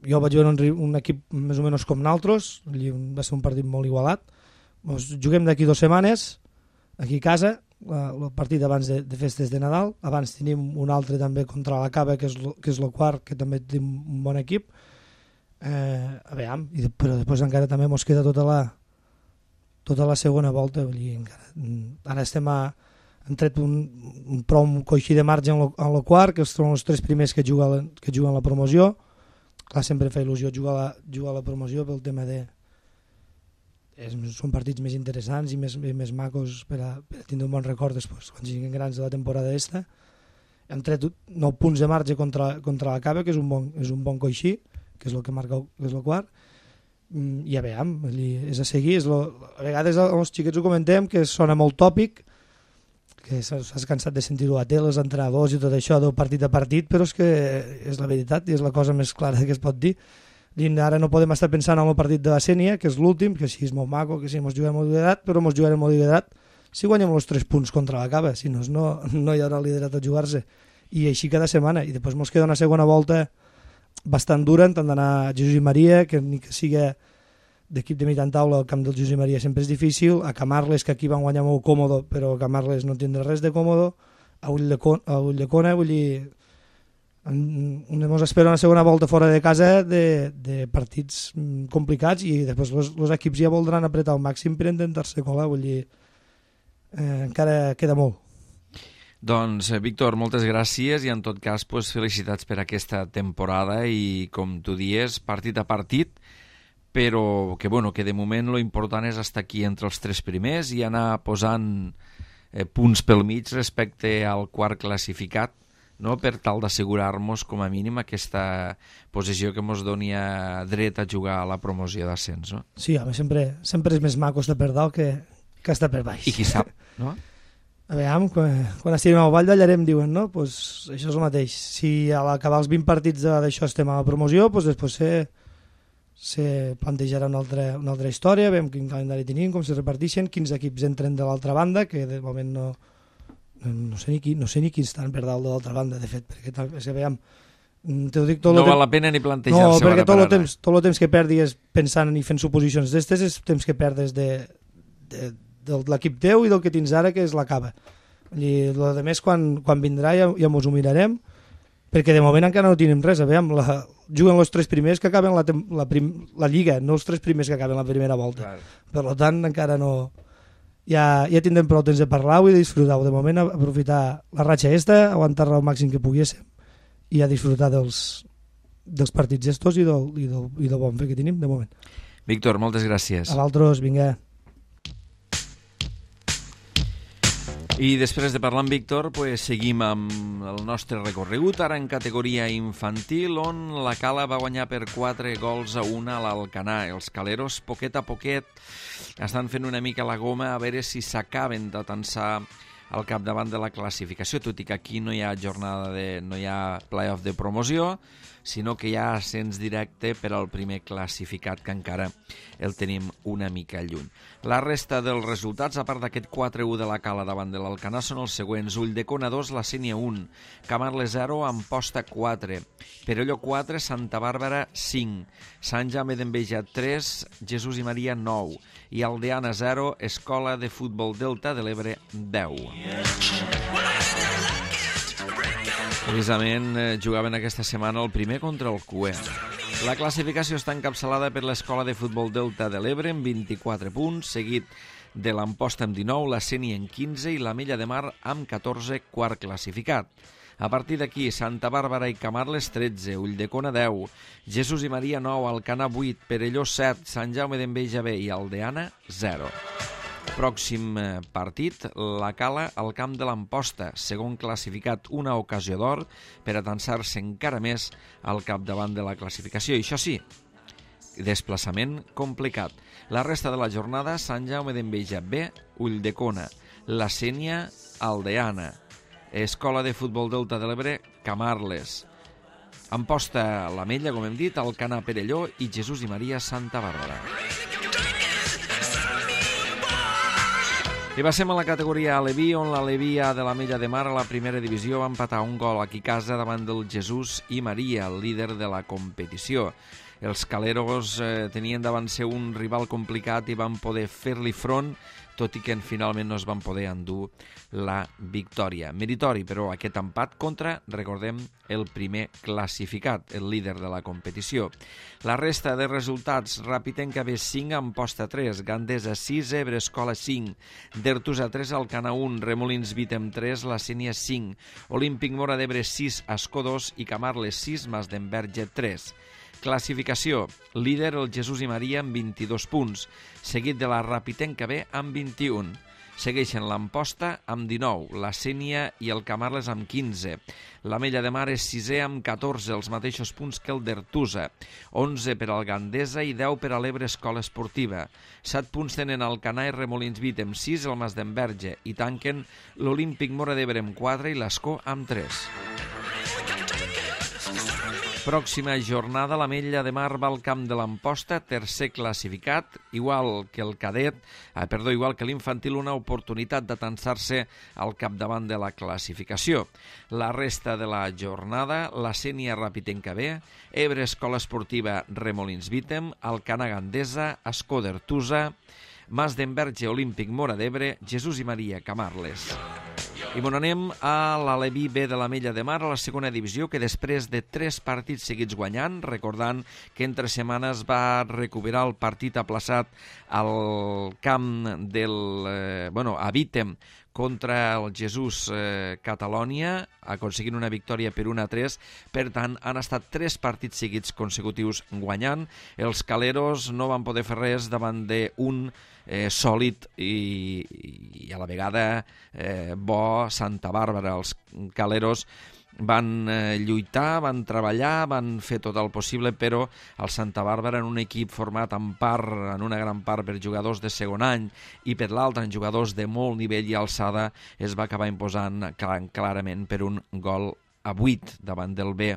jo vaig veure un, un equip més o menys com nosaltres, va ser un partit molt igualat. Ens juguem d'aquí dues setmanes, aquí a casa, el partit abans de, de festes de Nadal. Abans tenim un altre també contra la Cava, que és, lo, que és el quart, que també tenim un bon equip. Eh, a veure, i de, però després encara també ens queda tota la, tota la segona volta. Vull dir, encara, ara estem a... hem tret un, un prou coixí de marge en el quart, que són els tres primers que juguen, que juguen la promoció. clar, sempre fa il·lusió jugar a la, jugar a la promoció pel tema de... És, són partits més interessants i més, més macos per a, per a tindre un bon record després, quan siguin grans de la temporada esta. Hem tret nou punts de marge contra, contra la Cava, que és un bon, és un bon coixí, que és el que marca, que és el quart. I ja veiem, és a seguir. És lo, a vegades els xiquets ho comentem, que sona molt tòpic, que s'has cansat de sentir-ho a tele, els entrenadors i tot això, del partit a partit, però és que és la veritat i és la cosa més clara que es pot dir. I ara no podem estar pensant en el partit de la Sènia, que és l'últim, que sí és molt maco, que sí, ens juguem molt liderat, però ens jugarem molt liderat si guanyem els tres punts contra la Cava, si no, no, no hi haurà liderat a jugar-se. I així cada setmana. I després ens queda una segona volta bastant dura, tant d'anar a Jesús i Maria, que ni que sigui d'equip de mitjan taula, el camp del Jesús i Maria sempre és difícil, a Camarles, que aquí van guanyar molt còmodo, però a Camarles no tindrà res de còmodo, a Ulldecona, vull dir... Ens espera una segona volta fora de casa de, de partits complicats i després els equips ja voldran apretar al màxim per intentar-se colar, vull dir, eh, encara queda molt. Doncs, Víctor, moltes gràcies i en tot cas pues, felicitats per aquesta temporada i, com tu dies, partit a partit, però que, bueno, que de moment lo important és estar aquí entre els tres primers i anar posant eh, punts pel mig respecte al quart classificat, no? Per tal d'assegurar-nos com a mínim aquesta posició que ens doni a dret a jugar a la promoció d'ascens. No? Sí, home, sempre, sempre és més maco estar per dalt que, que estar per baix. I qui sap, no? A veure, quan, quan estiguem al Vall d'Allarem diuen, no? Pues això és el mateix. Si a l'acabar els vint partits d'això estem a la promoció, pues després se, se plantejarà una altra, una altra història, veiem quin calendari tenim, com se reparteixen, quins equips entren de l'altra banda, que de moment no... No sé, ni qui, no sé ni qui estan per dalt de l'altra banda, de fet, perquè és que veiem... Te dic, tot no val temps... la pena ni plantejar-se. No, perquè tot el, temps, tot el temps que perdis pensant i fent suposicions d'estes és temps que perdes de, de, de l'equip teu i del que tens ara, que és la Cava. I el de més, quan, quan vindrà ja, ja mos ho mirarem, perquè de moment encara no tenim res. A veure, la, juguen els tres primers que acaben la, la, prim, la Lliga, no els tres primers que acaben la primera volta. Clar. Per tant, encara no... Ja, ja tindrem prou temps de parlar-ho i de disfrutar-ho. De moment, aprofitar la ratxa esta, aguantar-la al màxim que poguéssim i a disfrutar dels, dels partits estos i del, i, del, i del bon fer que tenim, de moment. Víctor, moltes gràcies. A l'altres, vinga. I després de parlar amb Víctor, pues, seguim amb el nostre recorregut, ara en categoria infantil, on la Cala va guanyar per quatre gols a una a l'Alcanar. Els caleros, poquet a poquet, estan fent una mica la goma a veure si s'acaben d'atansar al capdavant de la classificació, tot i que aquí no hi ha jornada de, no hi ha play-off de promoció, sinó que hi ha ascens directe per al primer classificat, que encara el tenim una mica lluny. La resta dels resultats, a part d'aquest quatre a u de la Cala davant de l'Alcanar, són els següents: Ulldecona dos, la Sénia un, Camarles zero, Amposta quatre, Perelló quatre, Santa Bàrbara cinc, Sant Jaume d'Enveja tres, Jesús i Maria nou i Aldeana zero, Escola de Futbol Delta de l'Ebre deu. Precisament eh, jugaven aquesta setmana el primer contra el Cué. La classificació està encapçalada per l'Escola de Futbol Delta de l'Ebre amb vint-i-quatre punts, seguit de l'Amposta amb dinou, la Sénia amb quinze i la Mella de Mar amb catorze, quart classificat. A partir d'aquí, Santa Bàrbara i Camarles tretze, Ulldecona deu, Jesús i Maria nou, Alcanar vuit, Perelló set, Sant Jaume d'Enveja B i Aldeana zero. Pròxim partit, la Cala al camp de l'Amposta, segon classificat, una ocasió d'or per atansar-se encara més al capdavant de la classificació. I això sí, desplaçament complicat. La resta de la jornada, Sant Jaume d'Enveja B, Ulldecona, la Sénia, Aldeana, Escola de Futbol Delta de l'Ebre, Camarles, Amposta, la Mella, com hem dit, Alcanar, Perelló i Jesús i Maria, Santa Bàrbara. I passem a la categoria Aleví, on l'Alevia de la Mella de Mar a la primera divisió va empatar un gol aquí a casa davant del Jesús i Maria, el líder de la competició. Els caleros eh, tenien davant seu un rival complicat i van poder fer-li front, tot i que finalment no es van poder endur la victòria. Meritori, però, aquest empat contra, recordem, el primer classificat, el líder de la competició. La resta de resultats: Rapitenca B cinc, Amposta tres, Gandesa sis, Ebre Escola cinc, Dertusa tres, Alcanar un, Remolins Vitem tres, la Sénia cinc, Olímpic Mora d'Ebre sis, Ascó dos i Camarles sis, Mas d'Enverge tres. Classificació. Líder el Jesús i Maria amb vint-i-dos punts, seguit de la Rapitenca B amb vint-i-un. Segueixen l'Amposta amb dinou, la Sénia i el Camarles amb quinze. L'Ametlla de Mar és sisè amb catorze, els mateixos punts que el d'Ertusa. onze per al Gandesa i deu per a l'Ebre Escola Esportiva. set punts tenen Alcanar i Remolins Vit amb sis, el Mas d'Enverge, i tanquen l'Olímpic Móra d'Ebre amb quatre i l'Escó amb tres. Pròxima jornada, l'Ametlla de Mar va al camp de l'Amposta, tercer classificat, igual que el cadet, eh, perdó, igual que l'infantil, una oportunitat d'atansar-se al capdavant de la classificació. La resta de la jornada, la Sénia Rapitenca B, Ebre Escola Esportiva Remolins Vítem, Alcanar Gandesa, Escó d'Ertusa, Mas d'Enverge Olímpic Móra d'Ebre, Jesús i Maria Camarles. I bon, anem a l'Aleví B de l'Ametlla de Mar, a la segona divisió, que després de tres partits seguits guanyant, recordant que entre setmanes va recuperar el partit aplaçat al camp del, eh, bueno, a Vítem, contra el Jesús eh, Catalònia, aconseguint una victòria per un a tres. Per tant, han estat tres partits seguits consecutius guanyant. Els caleros no van poder fer res davant d'un eh, sòlid i, i a la vegada eh, bo Santa Bàrbara. Els caleros van eh, lluitar, van treballar, van fer tot el possible, però el Santa Bàrbara, en un equip format en part, en una gran part per jugadors de segon any i per l'altre en jugadors de molt nivell i alçada, es va acabar imposant clar, clarament per un gol a vuit davant del B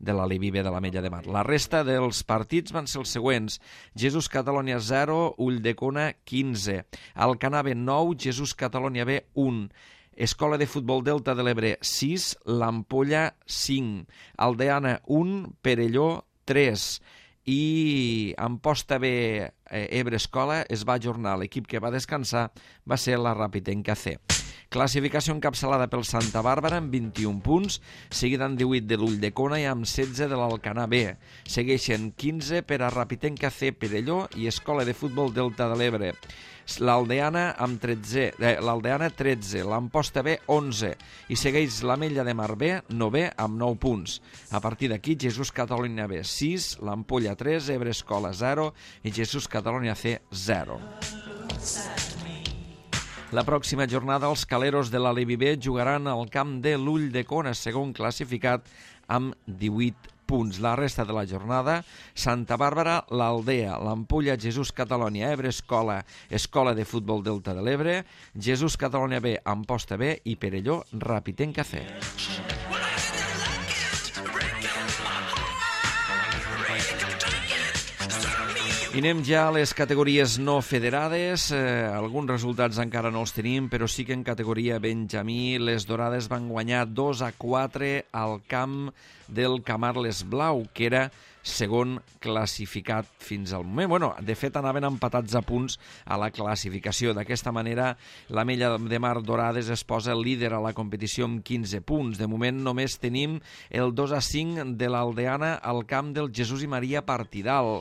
de l'Aleví B de l'Ametlla de Mar. La resta dels partits van ser els següents: Jesús Catalònia zero, Ulldecona quinze, Alcanar B nou, Jesús Catalònia B un, Escola de Futbol Delta de l'Ebre sis, l'Ampolla cinc, Aldeana un, Perelló tres i Amposta B eh, Ebre Escola es va ajornar. L'equip que va descansar va ser la Rapitenca C. Classificació encapçalada pel Santa Bàrbara amb vint-i-un punts, seguida amb divuit de l'Ulldecona i amb setze de l'Alcanar B. Segueixen quinze per a Rapitenca C, Perelló i Escola de Futbol Delta de l'Ebre. L'Aldeana amb tretze, eh, l'Aldeana tretze, l'Amposta B onze i segueix l'Ametlla de Mar B, novè amb nou punts. A partir d'aquí, Jesús Catalònia B sis, l'Ampolla tres, Ebre Escola zero i Jesús Catalònia C zero. La pròxima jornada, els caleros de l'Aleví B jugaran al camp de l'Ulldecona, segon classificat, amb divuit punts. La resta de la jornada, Santa Bàrbara, l'Aldea, l'Ampolla, Jesús Catalònia, Ebre Escola, Escola de Futbol Delta de l'Ebre, Jesús Catalònia B, Amposta B i Perelló, Rapitenca C. I anem ja a les categories no federades. Eh, alguns resultats encara no els tenim, però sí que en categoria Benjamí les Dorades van guanyar dos a quatre al camp del Camarles Blau, que era segon classificat fins al moment. Bueno, de fet, anaven empatats a punts a la classificació. D'aquesta manera, l'Ametlla de Mar Dorades es posa líder a la competició amb quinze punts. De moment només tenim el dos a cinc de l'Aldeana al camp del Jesús i Maria Partidal.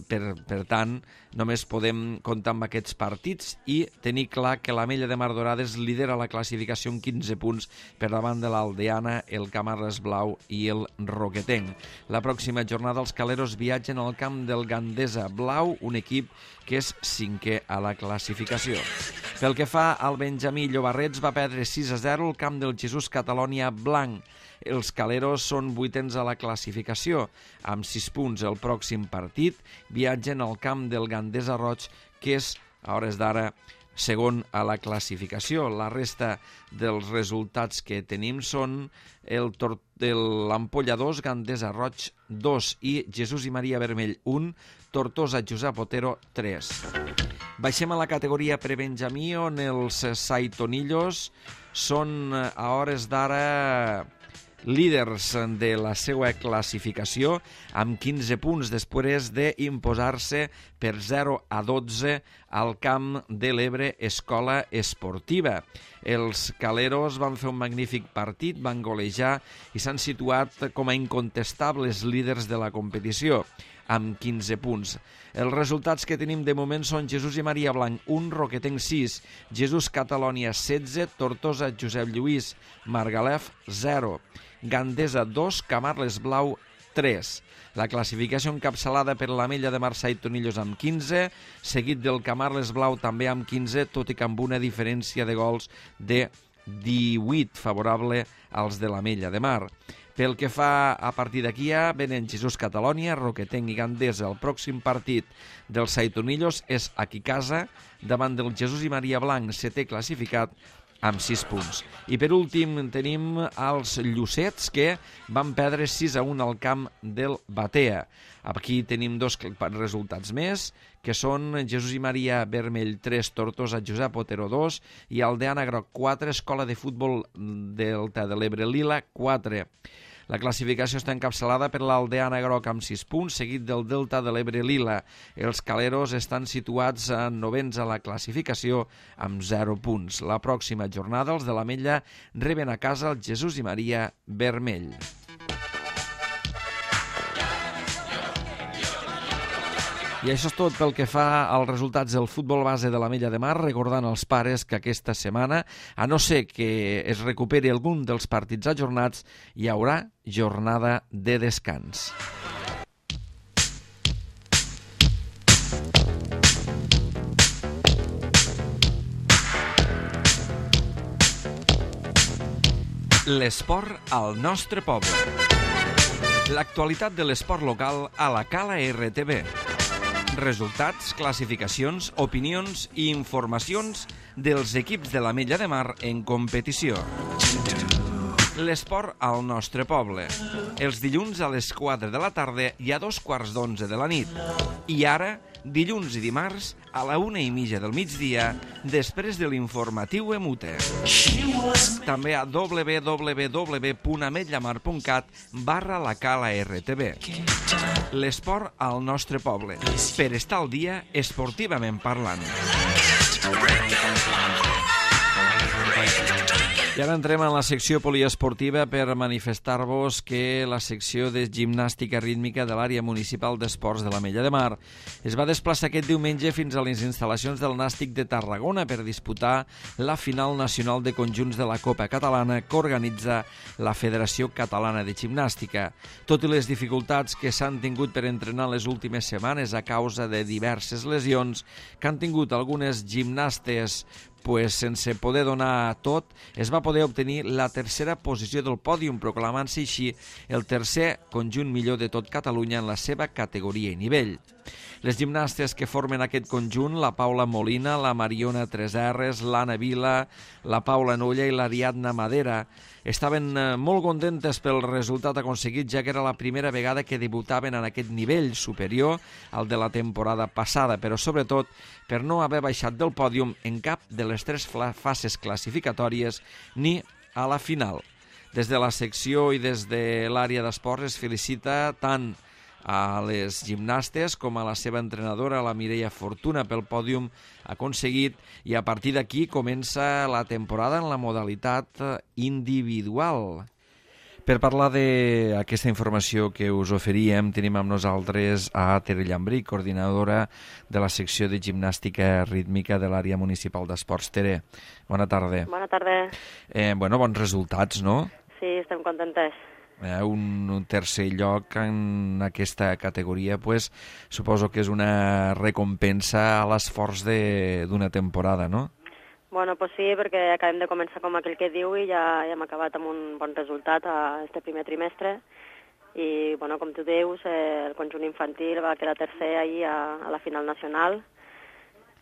Per, per tant, només podem comptar amb aquests partits i tenir clar que l'Ametlla de Mar Dorades lidera la classificació amb quinze punts per davant de l'Aldeana, el Camarles Blau i el Roquetenc. La pròxima jornada els caleros viatgen al camp del Gandesa Blau, un equip que és cinquè a la classificació. Pel que fa al Benjamí, Llobarrets va perdre sis a zero al camp del Jesús Catalònia Blanc. Els caleros són vuitens a la classificació, amb sis punts. El pròxim partit viatgen al camp del Gandesa Roig, que és, a hores d'ara, segon a la classificació. La resta dels resultats que tenim són el tor- l'Ampolla dos, Gandesa Roig dos i Jesús i Maria Vermell un, Tortosa Josep Otero tres. Baixem a la categoria prebenjamí, on els Saitonillos són, a hores d'ara, líders de la seva classificació amb quinze punts després d'imposar-se per zero a dotze al camp de l'Ebre Escola Esportiva. Els caleros van fer un magnífic partit, van golejar i s'han situat com a incontestables líders de la competició amb quinze punts. Els resultats que tenim de moment són Jesús i Maria Blanc un, Roquetenc sis, Jesús Catalònia setze, Tortosa Josep Lluís Margalef zero, Gandesa dos, Camarles Blau tres. La classificació encapçalada per l'Ametlla de Mar Saitonillos amb quinze, seguit del Camarles Blau també amb quinze, tot i que amb una diferència de gols de divuit favorable als de l'Ametlla de Mar. Pel que fa a partir d'aquí a venen Jesús Catalònia, Roquetenc i Gandesa. El pròxim partit dels Saitonillos és aquí casa, davant del Jesús i Maria Blanc, setè classificat, amb sis punts. I per últim tenim els Llucets, que van perdre sis a un al camp del Batea. Aquí tenim dos resultats més, que són Jesús i Maria Vermell tres, Tortosa Josep Otero dos i Aldeana Groc quatre, Escola de Futbol Delta de l'Ebre Lila quatre. La classificació està encapçalada per l'Aldeana Groc amb sis punts, seguit del Delta de l'Ebre Lila. Els Caleros estan situats a novens a la classificació amb zero punts. La pròxima jornada els de l'Ametlla reben a casa el Jesús i Maria Vermell. I això és tot pel que fa als resultats del futbol base de l'Ametlla de Mar, recordant als pares que aquesta setmana, a no ser que es recuperi algun dels partits ajornats, hi haurà jornada de descans. L'esport al nostre poble. L'actualitat de l'esport local a la Cala R T V. Resultats, classificacions, opinions i informacions dels equips de l'Ametlla de Mar en competició. L'esport al nostre poble. Els dilluns a les quatre de la tarda i a dos quarts d'onze de la nit. I ara, dilluns i dimarts, a la una i mitja del migdia, després de l'informatiu Emute. També a w w w punt ametllamar punt cat barra la Cala R T V. L'esport al nostre poble, per estar al dia esportivament parlant. I ara entrem en la secció poliesportiva per manifestar-vos que la secció de gimnàstica rítmica de l'àrea municipal d'esports de l'Ametlla de Mar es va desplaçar aquest diumenge fins a les instal·lacions del Nàstic de Tarragona per disputar la final nacional de conjunts de la Copa Catalana que organitza la Federació Catalana de Gimnàstica. Tot i les dificultats que s'han tingut per entrenar les últimes setmanes a causa de diverses lesions que han tingut algunes gimnastes pues sense poder donar tot, es va poder obtenir la tercera posició del pòdium, proclamant-se així el tercer conjunt millor de tot Catalunya en la seva categoria i nivell. Les gimnastes que formen aquest conjunt, la Paula Molina, la Mariona Tresarres, l'Anna Vila, la Paula Nolla i l'Ariadna Madera, estaven molt contentes pel resultat aconseguit, ja que era la primera vegada que debutaven en aquest nivell superior al de la temporada passada, però sobretot per no haver baixat del pòdium en cap de les tres fases classificatòries ni a la final. Des de la secció i des de l'àrea d'esports es felicita tant a les gimnastes com a la seva entrenadora, la Mireia Fortuna, pel pòdium aconseguit, i a partir d'aquí comença la temporada en la modalitat individual. Per parlar d'aquesta informació que us oferíem, tenim amb nosaltres a Tere Llambrí, coordinadora de la secció de gimnàstica rítmica de l'àrea municipal d'esports. Tere, bona tarda. Bona tarda. Eh, bueno, bons resultats, no? Sí, estem contentes. Eh, un, un tercer lloc en aquesta categoria, pues, suposo que és una recompensa a l'esforç d'una temporada, no? Bueno, pues sí, perquè acabem de començar com aquell que diu i ja, ja hem acabat amb un bon resultat a este primer trimestre. I, bueno, com tu dius, eh, el conjunt infantil va quedar tercer ahir a, a la final nacional.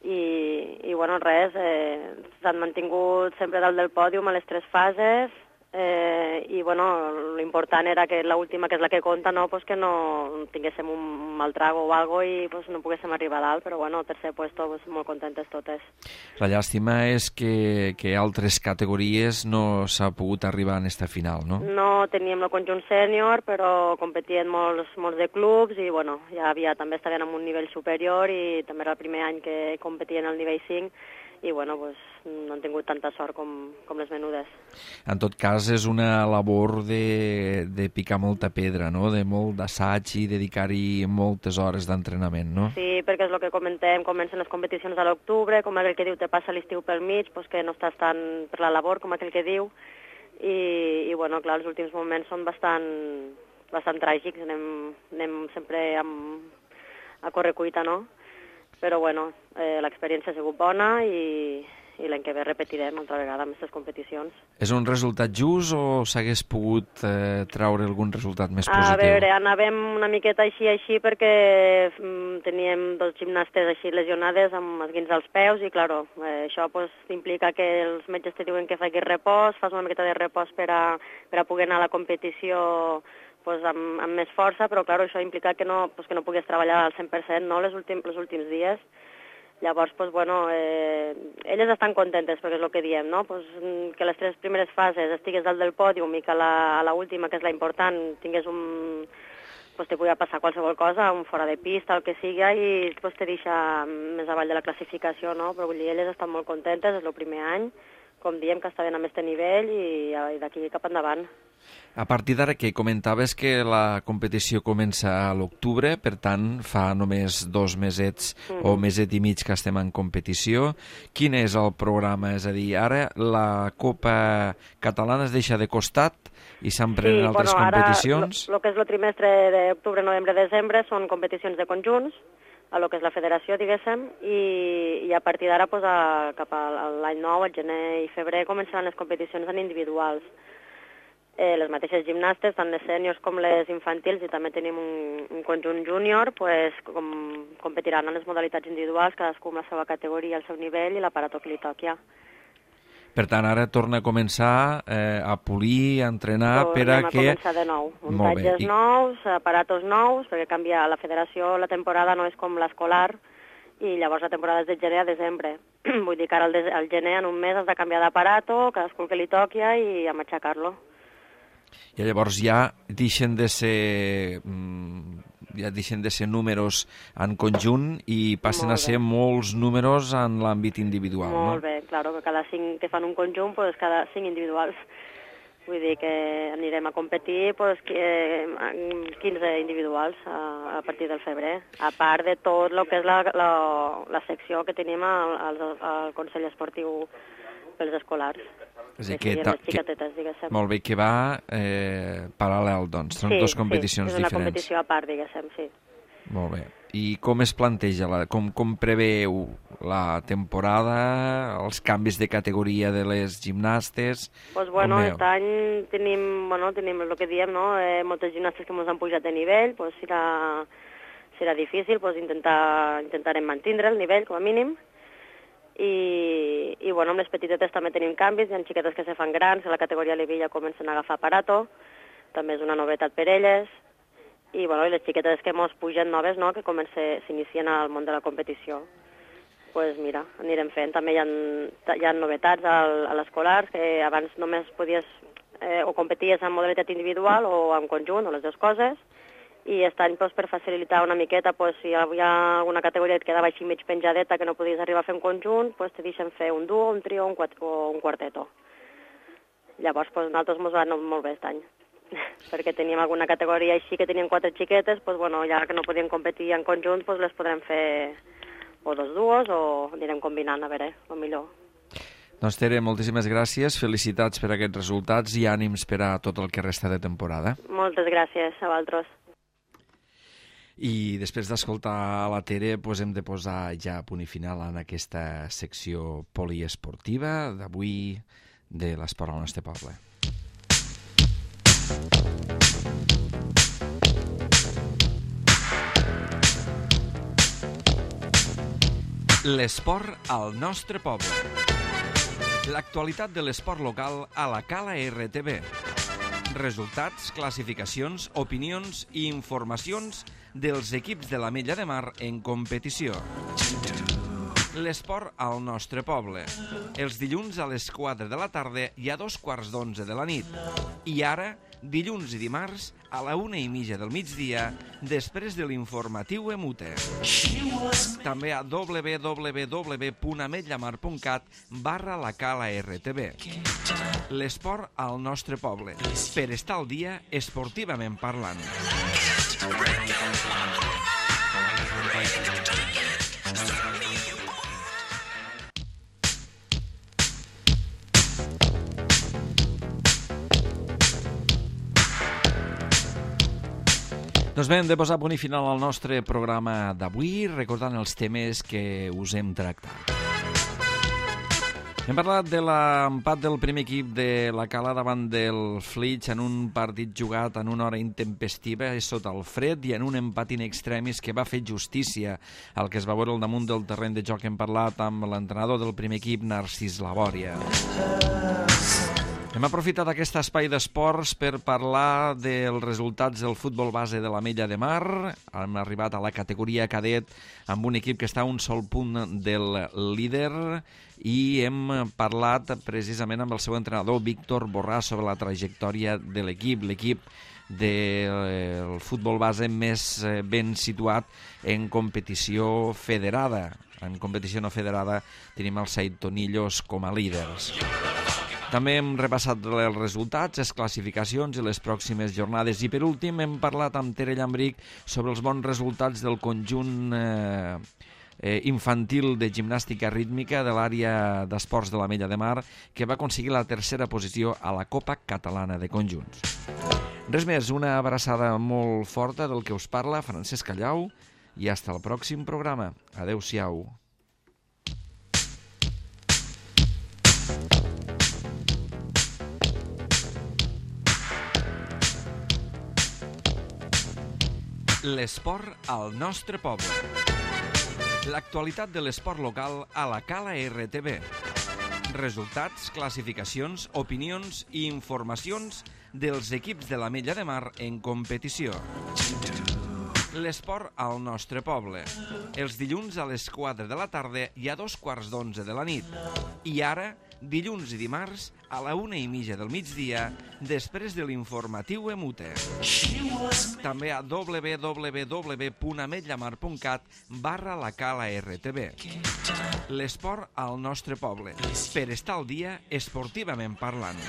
I, i bueno, res, eh, s'han mantingut sempre dalt del pòdium a les tres fases. Eh, i bueno, l'important era que l'última, que és la que compta, no, pues que no tinguéssim un mal trago o algo i pues no poguéssim arribar a dalt, però bueno, tercer puesto, pues, molt contentes totes. La llàstima és que, que altres categories no s'ha pogut arribar en esta final, no? No teníem el conjunt sènior, però competien molts, molts de clubs i bueno, ja havia, també estaven en un nivell superior i també era el primer any que competien al nivell cinc i bueno, pues, no han tingut tanta sort com, com les menudes. En tot cas, és una labor de, de picar molta pedra, no? De molt d'assaig i dedicar-hi moltes hores d'entrenament, no? Sí, perquè és el que comentem, comencen les competicions a l'octubre, com aquell que diu te passa l'estiu pel mig, pues que no estàs tant per la labor com aquell que diu, i, i bueno, clar, els últims moments són bastant bastant tràgics, anem, anem sempre amb, a correcuita, no? Però bueno, eh, l'experiència ha sigut bona i, i l'any que ve repetirem altra vegada amb aquestes competicions. És un resultat just o s'hagués pogut eh, traure algun resultat més positiu? A veure, anàvem una miqueta així així perquè mm, teníem dos gimnastes així lesionades amb esguins als peus i, claro, eh, això pues, implica que els metges te diuen que facis repòs, fas una miqueta de repòs per a, per a poder anar a la competició pues, amb, amb més força, però, claro, això implica que no, pues, que no puguis treballar al cent per cent no, les últim, els últims dies. Llavors, pues, bueno, eh, elles estan contentes, perquè és el que diem, no? Pues, que les tres primeres fases estigues dalt del pòdium i que a la, a la última, que és la important, tingués un... Pues, te podia passar qualsevol cosa, un fora de pista, el que sigui, i pues, te deixa més avall de la classificació, no? Però vull dir, elles estan molt contentes, és el primer any, com diem, que estaven amb aquest nivell i, i d'aquí cap endavant. A partir d'ara que comentaves que la competició comença a l'octubre, per tant, fa només dos mesets mm-hmm. o meset i mig que estem en competició. Quin és el programa? És a dir, ara la Copa Catalana es deixa de costat i s'emprenen sí, altres bueno, competicions? El que és el trimestre d'octubre, novembre, desembre són competicions de conjunts, a lo que és la federació, diguéssim, i, i a partir d'ara, pues, a, cap a l'any nou, al gener i febrer, començaran les competicions en individuals. Eh, les mateixes gimnastes, tant les sèniors com les infantils, i també tenim un, un conjunt júnior, pues, com, competiran en les modalitats individuals, cadascú amb la seva categoria, el seu nivell i l'aparato que li toqui. Per tant, ara torna a començar eh, a polir, a entrenar, Tornem per a a que... començar de nou. Muntatges nous, aparatos nous, perquè canvia la federació, la temporada no és com l'escolar, i llavors la temporada és de gener a desembre. Vull dir que ara al, al gener, en un mes, has de canviar d'aparato, cadascú que li toqui i a matxacar-lo. I llavors ja deixen de ser ja deixen de ser números en conjunt i passen a ser molts números en l'àmbit individual, no? Molt bé, claro, que cada cinc que fan un conjunt, pues cada cinc individuals. Vull dir que anirem a competir pues, quinze individuals a, a partir del febrer, a part de tot el que és la, la, la secció que tenim al, al, al Consell Esportiu pels escolars. És a dir, que, que, xiquetetes, diguéssim. Molt bé, que va eh, paral·lel, doncs. Són sí, dues competicions sí, és una diferents. competició a part, diguéssim, sí. Molt bé. I com es planteja, la, com, com preveu la temporada, els canvis de categoria de les gimnastes? Pues bueno, aquest any tenim, bueno, tenim el que diem, no? Eh, moltes gimnastes que ens han pujat de nivell, pues serà, serà difícil, pues intentar, intentarem mantindre el nivell, com a mínim. I, i bueno, amb les petitetes també tenim canvis, hi ha xiquetes que se fan grans, a la categoria Levilla comencen a agafar aparato, també és una novetat per elles, i, bueno, i les xiquetes que mos pugen noves, no?, que s'inicien al món de la competició. Doncs pues mira, anirem fent. També hi ha, hi ha novetats al, a l'escolar, que abans només podies eh, o competies en modalitat individual o en conjunt, o les dues coses, i aquest any, pues, per facilitar una miqueta, pues, si hi havia alguna categoria que quedava així mig penjadeta que no podies arribar a fer un conjunt, pues, te deixen fer un duo, un trio un o un quarteto. Llavors, pues, nosaltres ens va anar molt bé aquest any, perquè teníem alguna categoria així que tenien quatre xiquetes, pues, bueno, ja que no podien competir en conjunt, pues, les podrem fer o dos duos o anirem combinant, a veure, el millor. Doncs Tere, moltíssimes gràcies, felicitats per aquests resultats i ànims per a tot el que resta de temporada. Moltes gràcies a vosaltres. I després d'escoltar la Tere, doncs hem de posar ja a punt i final en aquesta secció poliesportiva d'avui de l'esport al nostre poble. L'esport al nostre poble. L'actualitat de l'esport local a la Cala R T V. Resultats, classificacions, opinions i informacions dels equips de l'Ametlla de Mar en competició. L'esport al nostre poble. Els dilluns a les quatre de la tarda i a dos quarts d'onze de la nit. I ara, dilluns i dimarts, a la una i mitja del migdia, després de l'informatiu Emute. També a w w w punt ametllamar punt cat barra la Cala R T V. L'esport al nostre poble, per estar al dia esportivament parlant. Doncs bé, hem de posar punt i final al nostre programa d'avui, recordant els temes que us hem tractat. Hem parlat de l'empat del primer equip de la Cala davant del Flix en un partit jugat en una hora intempestiva sota el fred i en un empat in extremis que va fer justícia al que es va veure al damunt del terreny de joc. Hem parlat amb l'entrenador del primer equip, Narcís Labòria. Hem aprofitat aquest espai d'esports per parlar dels resultats del futbol base de l'Ametlla de Mar. Hem arribat a la categoria cadet amb un equip que està a un sol punt del líder i hem parlat precisament amb el seu entrenador, Víctor Borràs, sobre la trajectòria de l'equip, l'equip del futbol base més ben situat en competició federada. En competició no federada tenim els Saitonillos com a líders. També hem repassat els resultats, les classificacions i les pròximes jornades. I per últim hem parlat amb Tere Llambric sobre els bons resultats del conjunt eh, eh, infantil de gimnàstica rítmica de l'àrea d'esports de l'Ametlla de Mar, que va aconseguir la tercera posició a la Copa Catalana de Conjunts. Res més, una abraçada molt forta del que us parla, Francesc Callau, i fins al pròxim programa. Adéu-siau. L'esport al nostre poble. L'actualitat de l'esport local a la Cala R T B. Resultats, classificacions, opinions i informacions dels equips de l'Ametlla de Mar en competició. L'esport al nostre poble. Els dilluns a les quatre de la tarda i a dos quarts d'onze de la nit. I ara, dilluns i dimarts, a la una i mitja del migdia, després de l'informatiu Emute. També a w w w punt ametllamar punt cat barra la Cala R T B. L'esport al nostre poble, per estar al dia esportivament parlant.